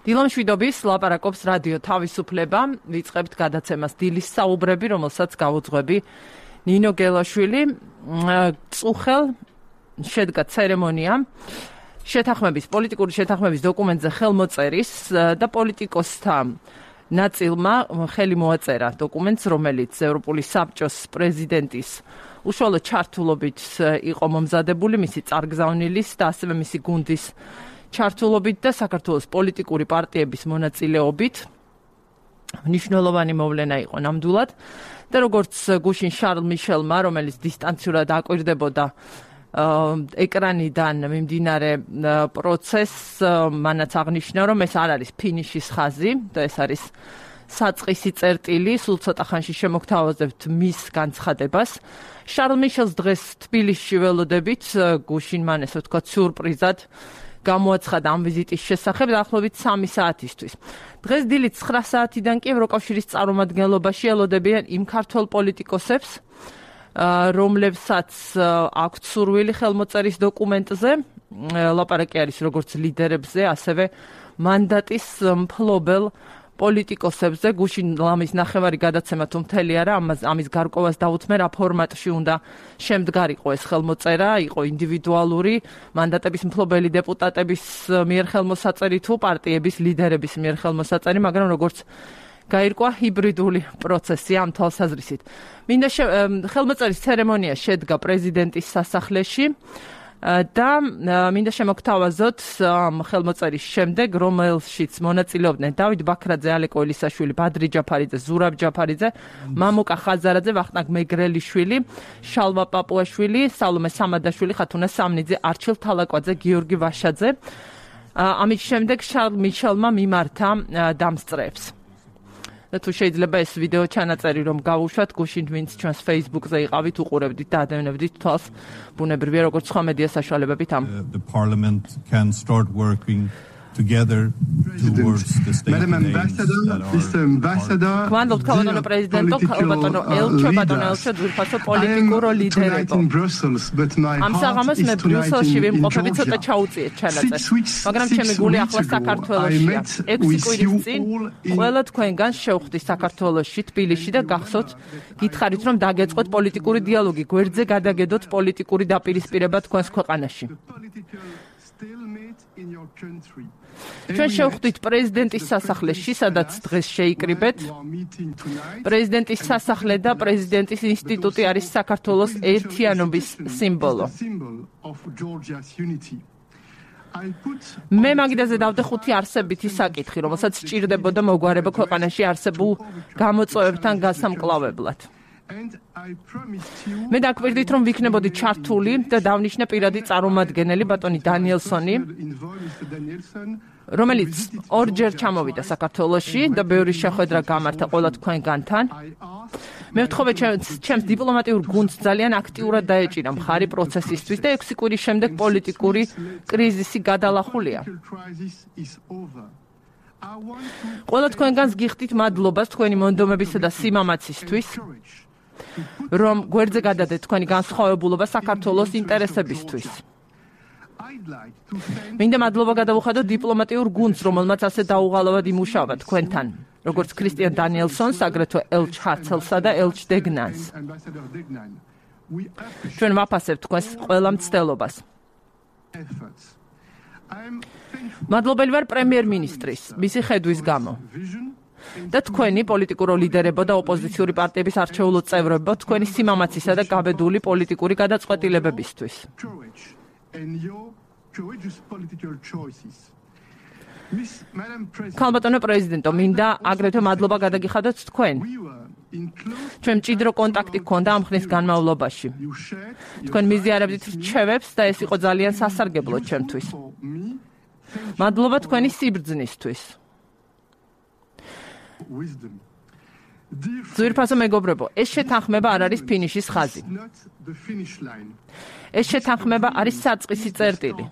დილონ შვიდობის ლაპარაკობს რადიო თავისუფლება, ვიწყებთ გადაცემას დილის საუბრები, რომელსაც გავუძღვები ნინო გელაშვილი. წუხელ შედგა ცერემონია პოლიტიკური შეთანხმების დოკუმენტზე ხელმოწერის და პოლიტიკოსთა ნაწილმა ხელი მოაწერა დოკუმენტს, რომელიც ევროპული საბჭოს პრეზიდენტის უშუალო ჩართულობით იყო მომზადებული, მისი წარგზავნილის და ასევე მისი გუნდის ჩართულობით და საქართველოს პოლიტიკური პარტიების მონაწილეობით. მნიშვნელოვანი მოვლენა იყო ნამდვილად და როგორც გუშინ შარლ მიშელმა, რომელიც დისტანციურად აკვირდებოდა ეკრანიდან მიმდინარე პროცესს, მანაც აღნიშნა, რომ ეს არ არის ფინიშის ხაზი და ეს არის საწყისი წერტილი, სულ ცოტა ხანში შემოგთავაზებთ მის განცხადებას. შარლ მიშელს დღეს თბილისში ველოდებით, გუშინ მან ესე ვთქვათ სიურპრიზად გამოაცხადა ამ ვიზიტის შესახებ დაახლოებით 3 საათისთვის. დღეს დილით 9 საათიდან კი ევროკავშირის წარმომადგენლობაში ელოდებიან იმ ქართველ პოლიტიკოსებს, რომლებსაც აქვთ სურვილი ხელმოწერის დოკუმენტზე, ლაპარაკი არის როგორც ლიდერებზე, ასევე მანდატის მფლობელ პოლიტიკოსებზე. გუშინ ლამის ნახევარი გადაცემა თუ მთელი არა, ამის გარკვევას დაუთმე, რა ფორმატში უნდა შემდგარიყო ეს ხელმოწერა, იყო ინდივიდუალური მანდატების მფლობელი დეპუტატების მიერ ხელმოსაწერი თუ პარტიების ლიდერების მიერ ხელმოსაწერი, მაგრამ როგორც გაირკვა ჰიბრიდული პროცესი ამ თვალსაზრისით. მინდა ხელმოწერის ცერემონია შედგა პრეზიდენტის სასახლეში და მინდა შემოგთავაზოთ ხელმოწერის შემდეგ, რომელშიც მონაწილეობდნენ დავით ბაქრაძე, ალეკო ელისაშვილი, ბადრი ჯაფარიძე, ზურაბ ჯაფარიძე, მამუკა ხაზარაძე, ვახტანგ მეგრელიშვილი, შალვა პაპუაშვილი, სალომე სამადაშვილი, ხათუნა სამნიძე, არჩილ თალაკვაძე, გიორგი ვაშაძე. ამის შემდეგ შარლ მიშელმა მიმართა დამსწრეებს. და თუ შეიძლება ეს ვიდეო ჩანაწერი რომ გავუშვათ, გუშინ ვინც ჩვენს Facebook-ზე იყავით, უყურებდით და ადევნებდით თვალს, ბუნებრივია როგორც სხვა მედია საშუალებებით ამ. The Parliament can start working together towards the state Madam Ambassador, Mr. Ambassador, Quando calano presidente, calano elcho, ძვირფასო პოლიტიკურო ლიდერებო. ამ საღამოს მე ბრიუსელში ვიმყოფები, ცოტა ჩაუწიეთ ჩანაწერი. მაგრამ ჩემი გული ახლა საქართველოშია. 6 კვირის წინ ყველა თქვენგან შევხვდი საქართველოში, თბილისში და გახსოვთ, გითხარით რომ დაგეწყოთ პოლიტიკური დიალოგი, გვერდზე გადაგედოთ პოლიტიკური დაპირისპირება თქვენს ქვეყანაში. ჩვენ შევხვდით პრეზიდენტის სასახლეში, სადაც დღეს შეიკრიბეთ. პრეზიდენტის სასახლე და პრეზიდენტის ინსტიტუტი არის საქართველოს ერთიანობის სიმბოლო. მე მაგიდაზე დავდე 5 არსებითი საკითხი, რომელსაც სჭირდებოდა მოგვარება ქვეყანაში არსებულ გამოწვევებთან გასამკლავებლად. მე დაგვირდით რომ ვიქნებოდი ჩართული და დავნიშნე პირადი წარმომადგენელი ბატონი დანიელსონი, რომელიც ორჯერ ჩამოვიდა საქართველოში და ბევრი შეხვედრა გამართა ყველა თქვენგანთან. მე ვთხოვე ჩემს დიპლომატიურ გუნდს ძალიან აქტიურად დაეჭირა მხარი პროცესისთვის და 6 კვირის შემდეგ პოლიტიკური კრიზისი გადალახულია. ყველა თქვენგანს გიხდით მადლობას თქვენი მონდომებისა და სიმამაცისთვის, რომ გვერდზე გადადეთ თქვენი განსხვავებულობა საქართველოს ინტერესებისთვის. მინდა მადლობა გადავუხადო დიპლომატიურ გუნდს, რომელმაც ასე დაუღალავად იმუშავა თქვენთან, როგორც ქრისტიან დანიელსონს, აგრეთვე ელჩ ჰარცელსა და ელჩ დეგნანს. ჩვენ ვაფასებთ თქვენს ყველა მცდელობას. მადლობელი ვარ პრემიერ-მინისტრის, მისი ხედვის გამო. და თქვენი პოლიტიკურო ლიდერებო და ოპოზიციური პარტიების არჩეულო წევრებო, თქვენი სიმამაცისა და გაბედული პოლიტიკური გადაწყვეტილებებისთვის. ქალბატონო პრეზიდენტო, მინდა აგრეთვე მადლობა გადაგიხადოთ თქვენ. ჩვენ მჭიდრო კონტაქტი გქონდა ამ ხნის განმავლობაში. თქვენ მიზიარებდით რჩევებს და ეს იყო ძალიან სასარგებლო ჩემთვის. მადლობა თქვენი სიბრძნისთვის. ძვირფასო მეგობრებო, ეს შეთანხმება არ არის ფინიშის ხაზი. ეს შეთანხმება არის საწყისი წერტილი.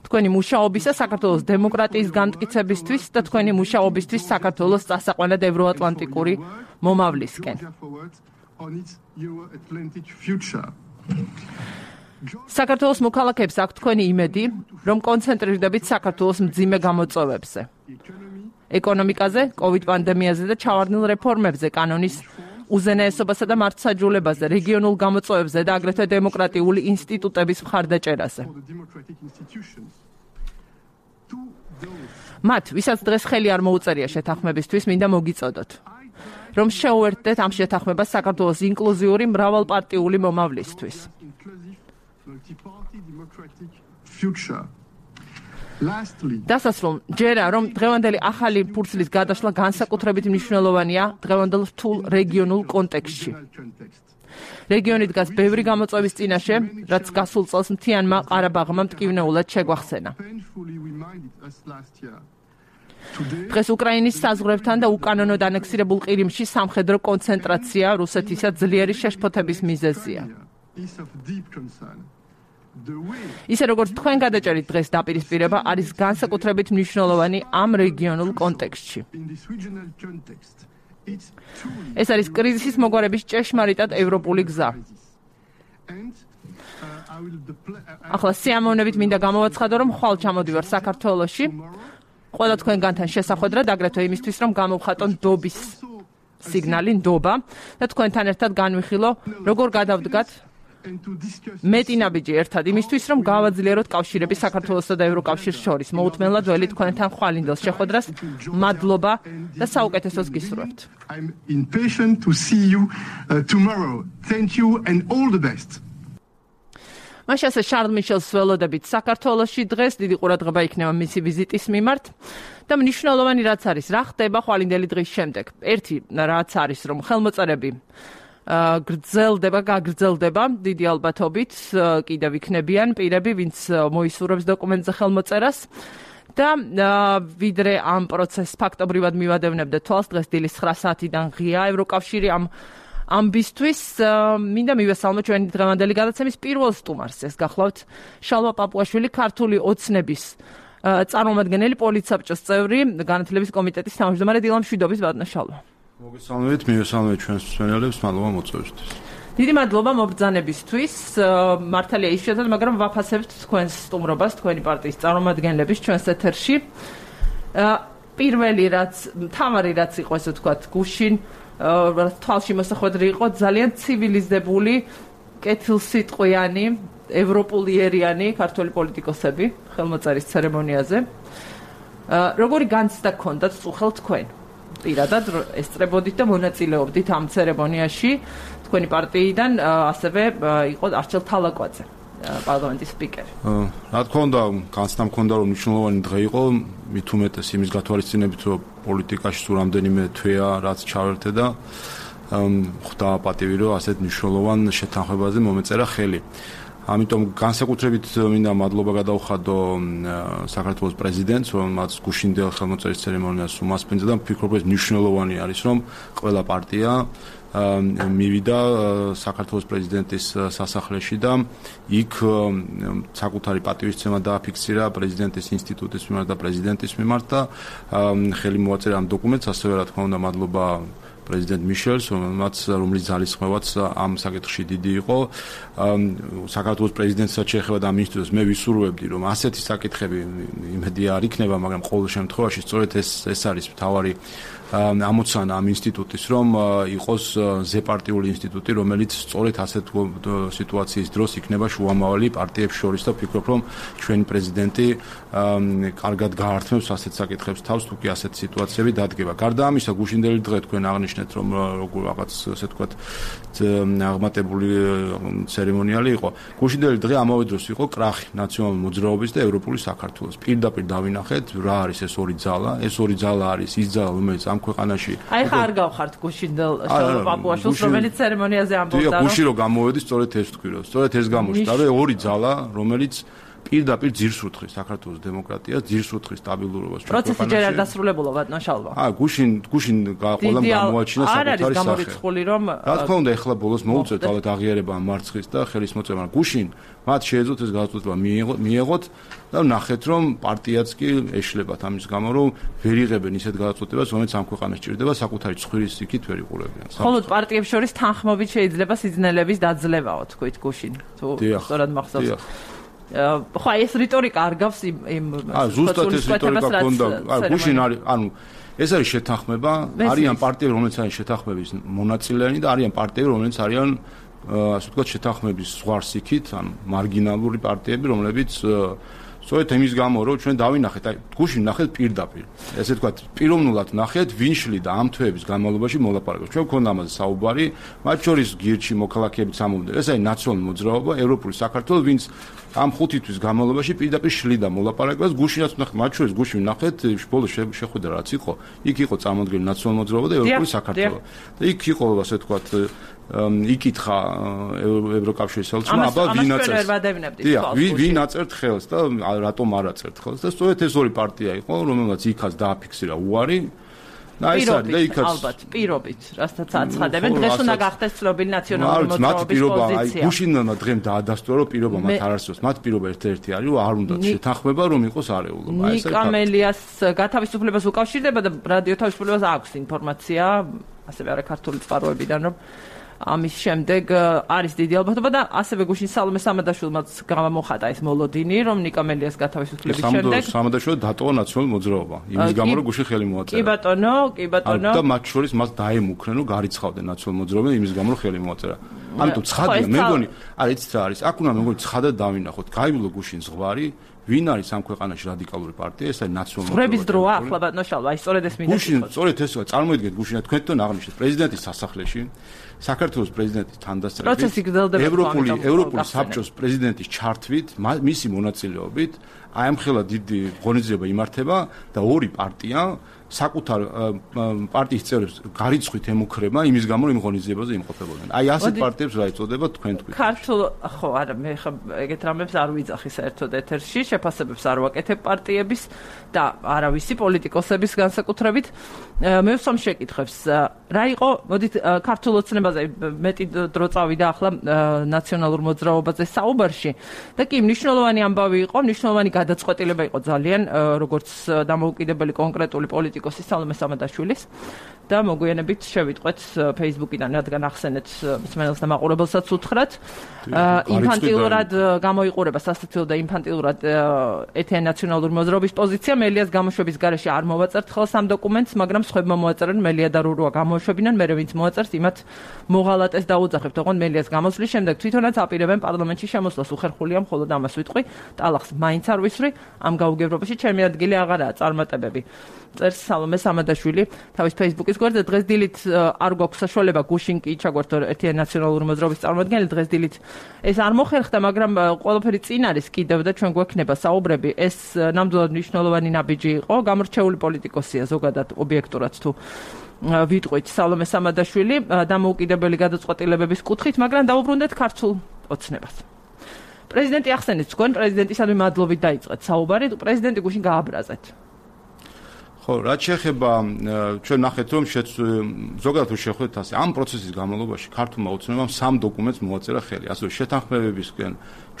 თქვენი მუშაობისა საქართველოს დემოკრატიის განმტკიცებისთვის და თქვენი მუშაობისთვის საქართველოს წასაყვანად ევროატლანტიკური მომავლისკენ. საქართველოს მოქალაქეებს აქვთ თქვენი იმედი, რომ კონცენტრირდებით საქართველოს მძიმე გამოწვევებზე. ეკონომიკაზე, COVID პანდემიაზე და ჩავარდნილ რეფორმებზე, კანონის უზენაესობასა და მართლმსაჯულებაზე, რეგიონულ გამოწვევებზე და აგრეთვე დემოკრატიული ინსტიტუტების მხარდაჭერაზე. მათ, ვისაც დღეს ხელი არ მოუწერია შეთანხმებისთვის, მინდა მოგიწოდოთ, რომ შეუერთდეთ ამ შეთანხმებას საქართველოს ინკლუზიური მრავალპარტიული მომავლისთვის. დასასრულ ჯერა, რომ დღევანდელი ახალი ფურცლის გადაშლა განსაკუთრებით მნიშვნელოვანია დღევანდელ რთულ რეგიონულ კონტექსტში. რეგიონი დგას ბევრი გამოწვევის წინაშე, რაც გასულ წელს მთიანმა ყარაბაღმა მტკივნეულად შეგვახსენა. დღეს უკრაინის საზღვრებთან და უკანონოდ ანექსირებულ ყირიმში სამხედრო კონცენტრაცია რუსეთისა ძლიერი შეშფოთების მიზეზია. ისე როგორც თქვენ გადაჭერით დღეს დაპირისპირება არის განსაკუთრებით მნიშვნელოვანი ამ რეგიონულ კონტექსტში. ეს არის კრიზისის მოგვარების ჭეშმარიტად ევროპული გზა. ახლა სიამოვნებით მინდა გამოვაცხადო, რომ ხვალ ჩამოდივარ საქართველოში. ყველა თქვენგანთან შესახვედრად, აგრეთვე იმისთვის, რომ გამოვხატო ნდობის სიგნალი, ნდობა და თქვენთან ერთად განვიხილო, როგორ გადავდგათ მეტი ნაბიჯი ერთად იმისთვის, რომ გავაძლიეროთ კავშირები საქართველოსა და ევროკავშირს შორის. მოუთმენლად ველი თქვენთან ხვალინდელ შეხვედრას. მადლობა და საუკეთესოს გისურვებთ. I'm impatient to see you tomorrow. Thank you and all the best. მაშასე შარლ მიშელს ველოდებით საქართველოში დღეს დიდი ყურადღება იქნება მისი ვიზიტის მიმართ და მნიშვნელოვანი რაც არის, რა ხდება ხვალინდელი დღის შემდეგ. ერთი რაც არის, რომ ხელმოწერები გაგრძელდება დიდი ალბათობით, კიდევ იქნებიან პირები, ვინც მოისურვებს დოკუმენტზე ხელმოწერას და ვიდრე ამ პროცესს ფაქტობრივად მივადევნებდეთ თვალს, დღეს დილის 9 საათიდან ღია ევროკავშირი ამბისთვის მინდა მივესალმო ჩვენი დღევანდელი გადაცემის პირველ სტუმარს. ეს გახლავთ შალვა პაპუაშვილი, ქართული ოცნების წარმომადგენელი, პოლიტსაბჭოს წევრი, განათლების კომიტეტის თავმჯდომარე. დილა მშვიდობის, ბატონო შალვა. მოგესალმებით, მივესალმებით ჩვენს მსმენელებს, მადლობა მოწვევისთვის. დიდი მადლობა მობრძანებისთვის. მართალია ის შედეგად, მაგრამ ვაფასებთ თქვენს სტუმრობას, თქვენი პარტიის წარმომადგენლების ჩვენს ეთერში. პირველი რაც, მთავარი რაც იყო, ესე ვთქვათ, გუშინ თვალში მოსახვედრი იყო ძალიან ცივილიზებული, კეთილსიტყვიანი, ევროპულიერიანი ქართველი პოლიტიკოსები ხელმოწერის ცერემონიაზე. როგორი განცდა გქონდათ წუხელ თქვენ? პირადად ესწრებოდით და მონაწილეობდით ამ ცერემონიაში თქვენი პარტიიდან, ასევე იყო არჩილ თალაკვაძე, პარლამენტის სპიკერი. რა თქმა უნდა, განცდა მქონდა, რომ მნიშვნელოვანი დღე იყო, მით უმეტეს იმის გათვალისწინებით, რომ პოლიტიკაში სულ რამდენიმე თვეა რაც ჩავერთე და ხვდა პატივი, რომ ასეთ მნიშვნელოვან შეთანხმებაზე მომეწერა ხელი. ამიტომ განსაკუთრებით მინდა მადლობა გადავხადო საქართველოს პრეზიდენტს, რომელმაც გუშინდელ ხელმოწერის ცერემონიას უმასპინძლა და ვფიქრობ, ეს მნიშვნელოვანი არის, რომ ყველა პარტია მივიდა საქართველოს პრეზიდენტის სასახლეში და იქ საკუთარი პატივისცემა დააფიქსირა პრეზიდენტის ინსტიტუტის მიმართ და პრეზიდენტის მიმართ და ხელი მოაწერა ამ დოკუმენტს. ასევე რა თქმა უნდა მადლობა პრეზიდენტ მიშელს, რომლის ძალისხმევაც ამ საკითხში დიდი იყო. საქართველოს პრეზიდენტსაც შეეხება და ამ ინსტიტუტს მე ვისურვებდი, რომ ასეთი საკითხები იმედია არ იქნება, მაგრამ ყოველ შემთხვევაში სწორედ ეს არის მთავარი ამოცანა ამ ინსტიტუტის, რომ იყოს ზეპარტიული ინსტიტუტი, რომელიც სწორედ ასეთ სიტუაციის დროს იქნება შუამავალი პარტიებს შორის და ვფიქრობ, რომ ჩვენი პრეზიდენტი კარგად გაართმევს ასეთ საკითხებს თავს, თუ კი ასეთ სიტუაციები დადგება. გარდა ამისა, გუშინდელი დღე თქვენ აღნიშნეთ, რომ როგორ რაღაც ასე ვთქვათ აღმატებული ცერემონიალი იყო. გუშინდელი დღე ამავე დროს იყო კრახი ნაციონალური მოძრაობის და ევროპული საქართველოს. პირდაპირ დავინახეთ, რა არის ეს ორი ძალა. ეს ორი ძალა არის ის ძალა, რომელიც ამ ქვეყანაში. აი ხა არ გავხართ გუშინდელ შალვა პაპუაშვილს, რომელიც ცერემონიაზე ამბობდა, რომ გუშინ რო გამოვედი, სწორედ ეს თქვი, რომ სწორედ ეს გამოჩნდა, რომ ორი ძალა, რომელიც პირდაპირ ძირს უთხრის საქართველოს დემოკრატიას, ძირს უთხრის სტაბილურობას ჩვენ ქვეყანაში. პროცესი ჯერ არ დასრულებულა, ბატონო შალვა. გუშინ ყველამ გამოაჩინა საკუთარი სახე. არ არის გამორიცხული, რომ რა თქმა უნდა, ეხლა ბოლოს მოუწევთ ალბათ აღიარება მარცხის და ხელის მოწევა. გუშინ მათ შეეძლოთ ეს გადაწყვეტილება მიიღოთ და ნახეთ, რომ პარტიაც კი ეშლებათ ამის გამო, რომ ვერ იღებენ ისეთ გადაწყვეტილებას, რომელიც ამ ქვეყანას ჭირდება, საკუთარი ცხვირის იქით ვერ იყურებიან. მხოლოდ პარტიებს შორის თანხმობით შეიძლება სიძნელების დაძლევაო, თქვით გუშინ. თუ სწორად მახსოვს. ხო ეს რიტორიკა არ გავს იმ ზუსტად ეს რიტორიკა ქონდა გუშინ არის ეს არის შეთანხმება არიან პარტიები რომელიც არის შეთანხმების მონაწილეანი და არიან პარტიები რომელიც არიან ასე ვთქვათ შეთანხმების ზღვარს იქით მარგინალური პარტიები რომლებიც სწორედ იმის გამო რომ ჩვენ დავინახეთ აი გუშინ ნახეთ პირდაპირ ესე ვთქვათ პიროვნულად ნახეთ ვინ შლიდა ამ თვეების განმავლობაში მოლაპარაკებას ჩვენ გქონდა ამაზე საუბარი მათ შორის გირჩი მოქალაქეებიც ამომდნენ ეს არის ნაციონალური მოძრაობა ევროპული საქართველოს ვინც ამ 5 თვის განმავლობაში პირდაპირ შლიდა მოლაპარაკებას გუშინაც ნახეთ მათ შორის გუშინ ნახეთ ბოლოს შეხვედრა რაც იყო იქ იყო წარმოდგენილი ნაციონალური მოძრაობა და ევროპული საქართველო და იქ იყო ასე ვთქვათ იკითხა ევროკავშირის ხელმძღვანელმა აბა ვინ აწერთ ხელს და რატომ არ აწერთ ხელს და სწორედ ეს ორი პარტია იყო რომელმაც იქაც დააფიქსირა უარი და ეს არის და იქაც ალბათ პირობით რასაც აცხადებენ დღეს უნდა გახდეს ცნობილი ნაციონალური მოძრაობის პოზიცია გუშინმა დღემ დაადასტურა რომ პირობა მათ არ არსებობს მათ პირობა ერთ-ერთი არის რომ არ უნდა შეთანხმება რომ იყოს არეულობა ეს არის ნიკამელიას გათავისუფლებას უკავშირდება და რადიო თავისუფლებას აქვს ინფორმაცია ასევე არა ქართული წყაროებიდან რომ ამის შემდეგ არის დიდი ალბათობა და ასევე გუშინ სალომე სამადაშვილმაც გამოხატა ეს მოლოდინი რომ ნიკამელიას გათავისუფლების შემდეგ სამადაშვილო დატოვა ნაციონალური მოძრაობა იმის გამო რომ გუშინ ხელი მოაწერა კი ბატონო და მათ შორის მას დაემუქრენ რომ გარიცხავდნენ ნაციონალური მოძრაობა იმის გამო რომ ხელი მოაწერა ამიტომ ცხადია მე მგონი არ იცით რა არის აქ უნდა მე მგონი ცხადად დავინახოთ გაივლო გუშინ ზღვარი ვინ არის ამ ქვეყანაში რადიკალური პარტია ეს არის ნაციონალური ზღვრების დროა ახლა ბატონო შალვა აი სწორედ ეს მინდა გუშინ სწორედ ეს წარმოიდგინეთ გუშინ თქვენთან აღნიშნეთ პრეზიდენტის სასახლეში საქართველოს პრეზიდენტის თანდასწრებით ევროპული საბჭოს პრეზიდენტის ჩართვით მისი მონაწილეობით აი ამ ხელა დიდი ღონისძიება იმართება და ორი პარტია საკუთარ პარტიის წევრებს გარიცხვით ემუქრება იმის გამო რომ იმ ღონისძიებაზე იმყოფებოდნენ. აი ასეთ პარტიებს რა ეწოდება თქვენ თქვით. ქართულ ხო არა მე ხა ეგეთ რამებს არ ვიძახი საერთოდ ეთერში, შეფასებებს არ ვაკეთებ პარტიების და არავისი პოლიტიკოსების განსაკუთრებით. მე ვსვამ შეკითხებს რა იყო მოდით ქართულ ოცნებაზე მეტი დრო წავიდა ახლა ნაციონალურ მოძრაობაზე საუბარში და კი მნიშვნელოვანი ამბავი იყო, მნიშვნელოვანი გადაწყვეტილება იყო ძალიან როგორც დამოუკიდებელი კონკრეტული პოლიტიკოსის სალომე სამადაშვილის და მოგვიანებით შევიტყვეთ Facebook-იდან რადგან ახსენეთ მსმენელს და მაყურებელსაც უთხრათ ინფანტილურად გამოიყურება სასაცილო და ინფანტილურად ეთნიკურ ნაციონალური მოძრაობის პოზიცია მელიას გამოშვების გარეშე არ მოვაწერთ ხელს ამ დოკუმენტს მაგრამ სხვებმა მოაწერენ მელია და რურუა გამოშვებინან მე ვინც მოაწერს იმათ მოღალატეს დაუძახებთ ოღონდ მელიას გამოსვლის შემდეგ თვითონაც აპირებენ პარლამენტში შემოსვლას უხერხულია მხოლოდ ამას ვიტყვი ტალახს მაინც არ ვისვრი ამ გაუგებრობაში ჩემი ადგილი აღარაა წარმატებები წერს სალომე სამადაშვილი თავის Facebook-ის გვერდზე დღეს დილით არ გვაქვს საშუალება გუშინ კი ჩაგვერთო ეთნიკურ ნაციონალური მოძრაობის წარმომადგენელი დღეს დილით ეს არ მოხერხდა მაგრამ ყველაფერი წინ არის კიდევ და ჩვენ გვექნება საუბრები ეს ნამდვილად მნიშვნელოვანი ნაბიჯი იყო გამორჩეული პოლიტიკოსია ზოგადად ობიექტურად თუ ვიტყვით სალომე სამადაშვილი დამოუკიდებელი გადაწყვეტილებების კუთხით მაგრამ დავუბრუნდეთ ქართულ ოცნებას პრეზიდენტი ახსენეთ თქვენ პრეზიდენტისადმი მადლობით დაიწყეთ საუბარი პრეზიდენტი გუშინ გააბრაზეთ ხო, რაც შეეხება ჩვენ ნახეთ რომ ზოგადად შეხვდეთ ასე ამ პროცესის განმავლობაში ქართულმა ოცნებამ 3 დოკუმენტს მოაწერა ხელი, ასე შეთანხმებებისკენ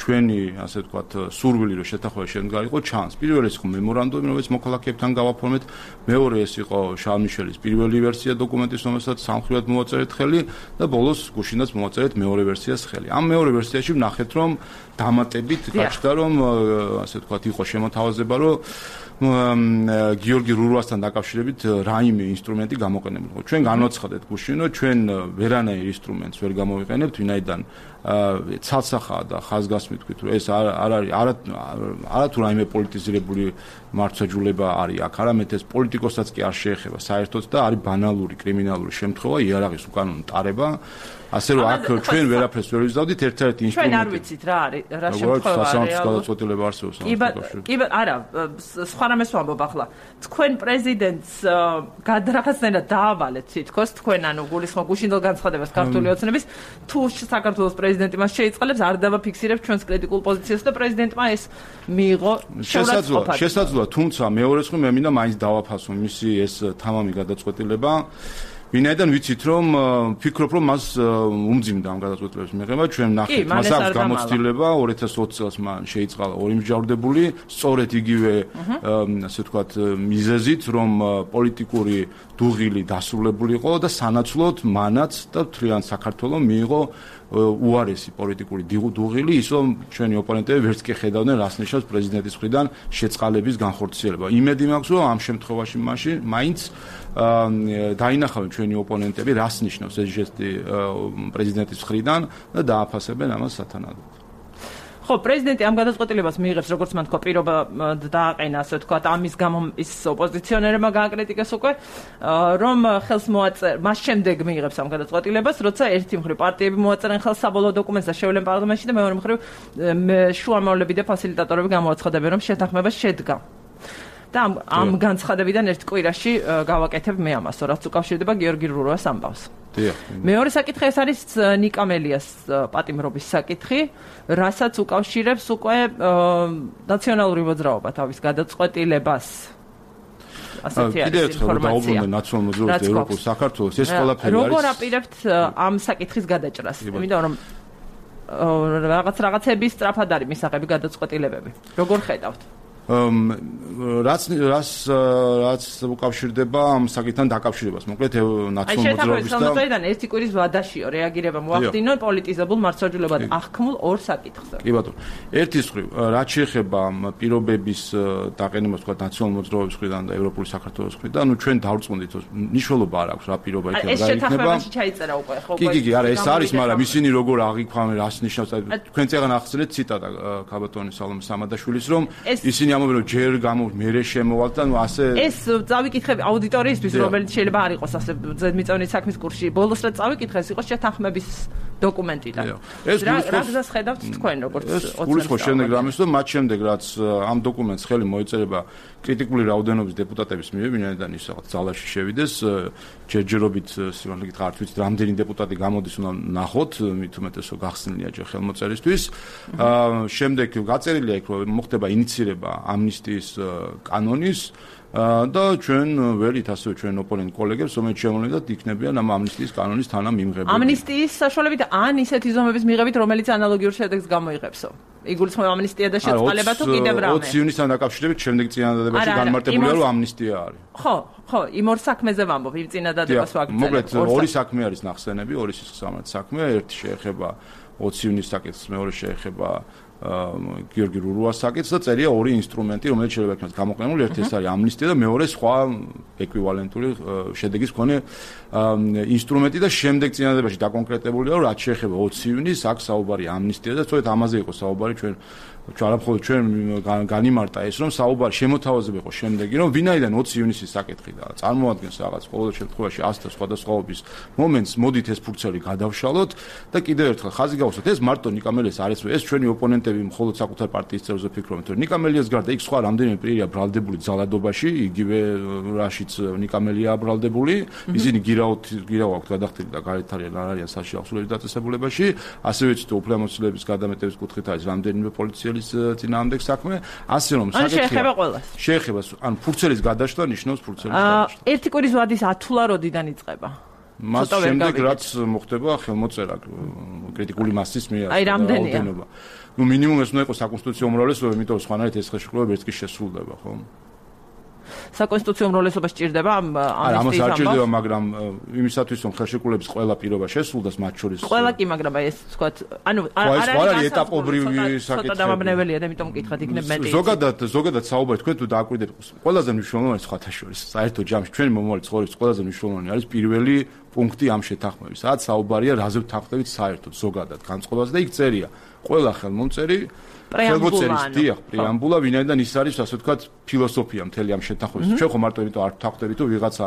ჩვენი ასე ვთქვათ სურვილი რომ შეთანხმება შემდგარიყო ჩანს. პირველი ის იყო მემორანდუმი, რომელიც მოქალაქეებთან გავაფორმეთ, მეორე ეს იყო შალმიშელის პირველი ვერსია დოკუმენტის, რომელსაც სამხრივად მოაწერეთ ხელი და ბოლოს გუშინაც მოაწერეთ მეორე ვერსიას ხელი. ამ მეორე ვერსიაში ვნახეთ რომ დამატებით გაჩნდა რომ ასე ვთქვათ იყო შემოთავაზება რომ გიორგი რურვასთან დაკავშირებით რაიმე ინსტრუმენტი გამოყენებულიყო. ჩვენ განვაცხადეთ გუშინ, რომ ჩვენ ვერანაირ ინსტრუმენტს ვერ გამოვიყენებთ, ვინაიდან ცალსახაა და ხაზგასმით ვთქვით, რომ ეს არ არის არა თუ რაიმე პოლიტიზირებული მართლმსაჯულება არის აქ, არამედ ეს პოლიტიკოსაც კი არ შეეხება საერთოდ და არის ბანალური კრიმინალური შემთხვევა, იარაღის უკანონო ტარება. ასე რომ აქ ჩვენ ვერაფერს ვერ ვიზავდით ერთ-ერთი ინსტრუმენტი. ჩვენ არ ვიცით რა არის, რა შემთხვევაა. სასამართლოს გადაწყვეტილება არსებობს. კი, არა, სხვა რამეს ვამბობ ახლა. თქვენ პრეზიდენტს რაღაცნაირად დაავალეთ თითქოს თქვენ ანუ გულისხმობ გუშინდელ განცხადებას ქართული ოცნების თუ საქართველოს პრეზიდენტი მას შეიწყალებს არ დავაფიქსირებს ჩვენს კრიტიკულ პოზიციას და პრეზიდენტმა ეს მიიღო შესაძლოა თუმცა მეორეს ხომ მე მინდა მაინც დავაფასო მისი ეს თამამი გადაწყვეტილება ვინაიდან ვიცით რომ ფიქრობ რომ მას უმძიმდა ამ გადაწყვეტილების მიღება ჩვენ ნახეთ მას აქვს გამოცდილება 2020 წელს მან შეიწყალა ორი მსჯავრდებული სწორედ იგივე ასე ვთქვათ მიზეზით რომ პოლიტიკური დუღილი დასრულებული იყო და სანაცვლოდ მანაც და მთლიან საქართველოს მიიღო უარესი პოლიტიკური დუღილი ის რომ ჩვენი ოპონენტები ვერც კი ხედავდნენ რას ნიშნავს პრეზიდენტის მხრიდან შეწყალების განხორციელება. იმედი მაქვს რომ ამ შემთხვევაში მაინც დაინახავენ ჩვენი ოპონენტები რას ნიშნავს ეს ჟესტი პრეზიდენტის მხრიდან და დააფასებენ ამას სათანადოდ. ხო, პრეზიდენტი ამ გადაწყვეტილებას მიიღებს, როგორც მან თქვა, პირობა დააყენა, ასე ვთქვათ, ამის გამო ის ოპოზიციონერებმა გააკრიტიკეს უკვე, რომ ხელს მოაწერა, მას შემდეგ მიიღებს ამ გადაწყვეტილებას, როცა ერთი მხრივ პარტიები მოაწერენ ხელს საბოლოო დოკუმენტს და შევლენ პარლამენტში და მეორე მხრივ შუამავლები და ფასილიტატორები გამოაცხადებენ, რომ შეთანხმება შედგა. და ამ განცხადებიდან ერთ კვირაში გავაკეთებ მე ამას, რაც უკავშირდება გიორგი რუროვას ამბავს. მეორე საკითხი ეს არის ნიკამელიას პატიმრობის საკითხი, რასაც უკავშირებს უკვე ნაციონალური მოძრაობა თავის გადაწყვეტილებას. ასეთი არის ინფორმაცია. ნაციონალურ მოძრაობას ევროპულ საქართველოს ეს ყველაფერი არის. როგორ აპირებთ ამ საკითხის გადაჭრას? იმიტომ რომ რაღაცების სწრაფად არის მისაღები გადაწყვეტილებები. როგორ ხედავთ? რაც უკავშირდება ამ საკითხთან დაკავშირებას. მოკლედ ნაციონალურ მოძრაობის და აი ერთი კვირის ვადაშიო რეაგირება მოახდინონ პოლიტიზებულ მართლმსაჯულებად აღქმულ ორ საკითხზე. კი ბატონო. ერთის მხრივ, რაც შეეხება პირობების დაყენებას თქვა ნაციონალურ მოძრაობის მხრიდან და ევროპული საქართველოს მხრიდან, ნუ ჩვენ დავრწმუნდით, მნიშვნელობა არ აქვს რა პირობა იქნება რა იქნება. ეს შეთანხმებაში ჩაიწერა უკვე ხო? კი, არა, ეს არის, მაგრამ ისინი როგორ აღიქვამენ, რას ნიშნავს? თქვენ წეგან ახსენეთ ციტატა ქაბატონის სალომე სამადაშვილის, რომ ისინი ამობენ რომ ჯერ მერე შემოვალთ და ნუ ასე ეს წავიკითხები აუდიტორიისთვის რომელიც შეიძლება არ იყოს ასე ზედმიწევნით საქმის კურსში ბოლოს რა წავიკითხე ეს იყო შეთანხმების დოკუმენტიდან რა გზას ხედავთ თქვენ როგორც გულისხმობ შემდეგ რამეს რომ მათ შემდეგ რაც ამ დოკუმენტს ხელი მოეწერება კრიტიკული რაოდენობის დეპუტატების მიერ ვინაიდან ის რაღაც ძალაში შევიდეს ჯერჯერობით სიგანლით არ ვიცით რამდენი დეპუტატი გამოდის უნდა ნახოთ მით უმეტესო გახსნილია ჯერ ხელმოწერისთვის შემდეგ გაწერილია იქ რომ მოხდება ინიცირება ამნისტიის კანონის და ჩვენ ველით ასევე ჩვენ ოპონენტ კოლეგებს რომელიც შემოვლენდათ იქნებიან ამ ამნისტიის კანონის თანამიმღებელი. ამნისტიის საშუალებით ან ისეთი ზომების მიღებით რომელიც ანალოგიურ შედეგს გამოიღებსო. იგულისხმება ამნისტია და შეწყალება თუ კიდევ რამე. 20 ივნისთან დაკავშირებით შემდეგ წინადადებაში განმარტებულია რომ ამნისტია არის. ხო, იმ ორ საქმეზე ვამბობ, იმ წინადადებას ვაგრძელებ. მოკლედ ორი საქმე არის ნახსენები, ორი სისხლისღამათი საქმე, ერთი შეეხება 20 ივნისის საკითხს, მეორე შეეხება გიორგი რუროვას საკითხს და წერია ორი ინსტრუმენტი, რომელიც შეიძლება იქნას გამოყენებული, ერთი ეს არის ამნისტია და მეორე სხვა ეკვივალენტური შედეგის მქონე ინსტრუმენტი და შემდეგ წინადადებაში დაკონკრეტებულია, რომ რაც შეეხება 20 ივნისს აქ საუბარი ამნისტია და სწორედ ამაზე იყო საუბარი ჩვენ არაფხოლოდ ჩვენ განიმარტა ეს რომ საუბარი შემოთავაზება იყო შემდეგი რომ ვინაიდან 20 ივნისის საკითხი და წარმოადგენს რაღაც ყოველ შემთხვევაში 100 და სხვადასხვაობის მომენტს მოდით ეს ფურცელი გადავშალოთ და კიდევ ერთხელ ხაზი გავუსვათ ეს მარტო ნიკამელიას არის ეს ჩვენი ოპონენტები მხოლოდ საკუთარ პარტიის წევრზე ფიქრობენ რომ ნიკამელიას გარდა იქ სხვა რამდენიმე პირია ბრალდებული ძალადობაში იგივე რაშიც ნიკამელია ბრალდებული ისინი გირავ აქვს გადახდილი და გარეთ არიან არ არიან საშიო ახსულების დაწესებულებაში ასევე ვიცით უფლებამოსილების გადამეტების კუთხით არის რამდენიმე პოლიცია წინააღმდეგ საქმე, ასე რომ საკითხია. შეეხება, ანუ ფურცელის გადაშლა ნიშნავს ფურცელის გადაშლა. ერთი კვირის ვადის ათულა როდიდან იწყება? მას შემდეგ რაც მოხდება ხელმოწერა კრიტიკული მასის მიერ. აი რამდენია? ნუ მინიმუმ ეს უნდა იყოს საკონსტიტუციო უმრავლესობა, იმიტომ რომ სხვანაირად ეს ხელშეკრულება ვერც კი შესრულდება, ხო? საკონსტიტუციო უმრავლესობა სჭირდება ამ ამას არ სჭირდება, მაგრამ იმისათვის რომ ხელშეკრულების ყველა პირობა შესრულდეს მათ შორის. ყველა კი, მაგრამ ეს თქვათ, ანუ არ არის ეტაპობრივი საკითხი. ცოტა დამაბნეველია და იმიტომ მკითხავთ იქნებ მეტი. ზოგადად საუბარი თქვენ თუ დააკვირდებით, ყველაზე მნიშვნელოვანი სხვათა შორის, საერთო ჯამში ჩვენი მომავალი ცხოვრების ყველაზე მნიშვნელოვანი არის პირველი პუნქტი ამ შეთანხმების. სადაც საუბარია რაზე ვთანხმდებით საერთოდ ზოგადად განწყობაზე და იქ წერია ყველა ხელმომწერი პრეამბულა, ვინაიდან ის არის, ასე ვთქვათ, ფილოსოფია მთელი ამ შეთანხმების. ჩვენ ხო მარტო იმიტომ არ ვთანხმდებით, თუ ვიღაცა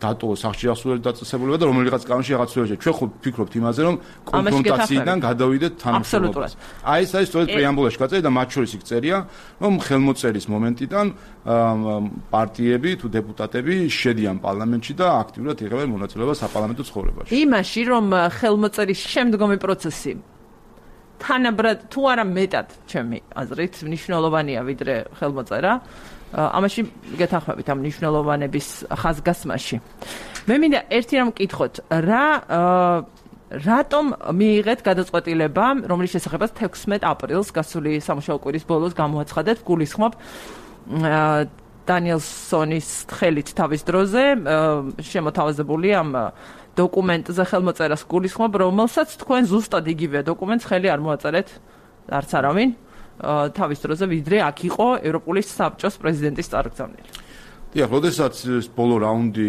დატოვოს სახში ახსულების დაწესებულება და რომელიღაც კანონში რაღაც ვეჟე. ჩვენ ხო ვფიქრობთ იმაზე, რომ კონფრონტაციიდან გადავიდეთ თანამშრომლობას. აი ეს არის სწორედ პრეამბულაში გაწერილი და მათ შორის იქ წერია, რომ ხელმოწერის მომენტიდან პარტიები თუ დეპუტატები შედიან პარლამენტში და აქტიურად იღებენ მონაწილეობას საპარლამენტო ცხოვრებაში. იმაში, რომ ხელმოწერის შემდგომი პროცესი თანაბრად თუ არა მეტად ჩემი აზრით მნიშვნელოვანია ვიდრე ხელმოწერა. ამაში გეთანხმებით ამ მნიშვნელოვანების ხაზგასმაში. მე მინდა ერთი რამ მკითხოთ, რატომ მიიღეთ გადაწყვეტილება, რომლის შესახებაც 16 აპრილს გასული სამუშაო კვირის ბოლოს გამოაცხადეთ, გულისხმობ დანიელსონის ხელით თავის დროზე შემოთავაზებული ამ დოკუმენტზე ხელმოწერას გულისხმობ, რომელსაც თქვენ ზუსტად იგივე დოკუმენტს ხელი არ მოაწერეთ არც არავინ თავის დროზე, ვიდრე აქ იყო ევროპული საბჭოს პრეზიდენტის წარგზავნილი. დიახ, როდესაც ბოლო რაუნდი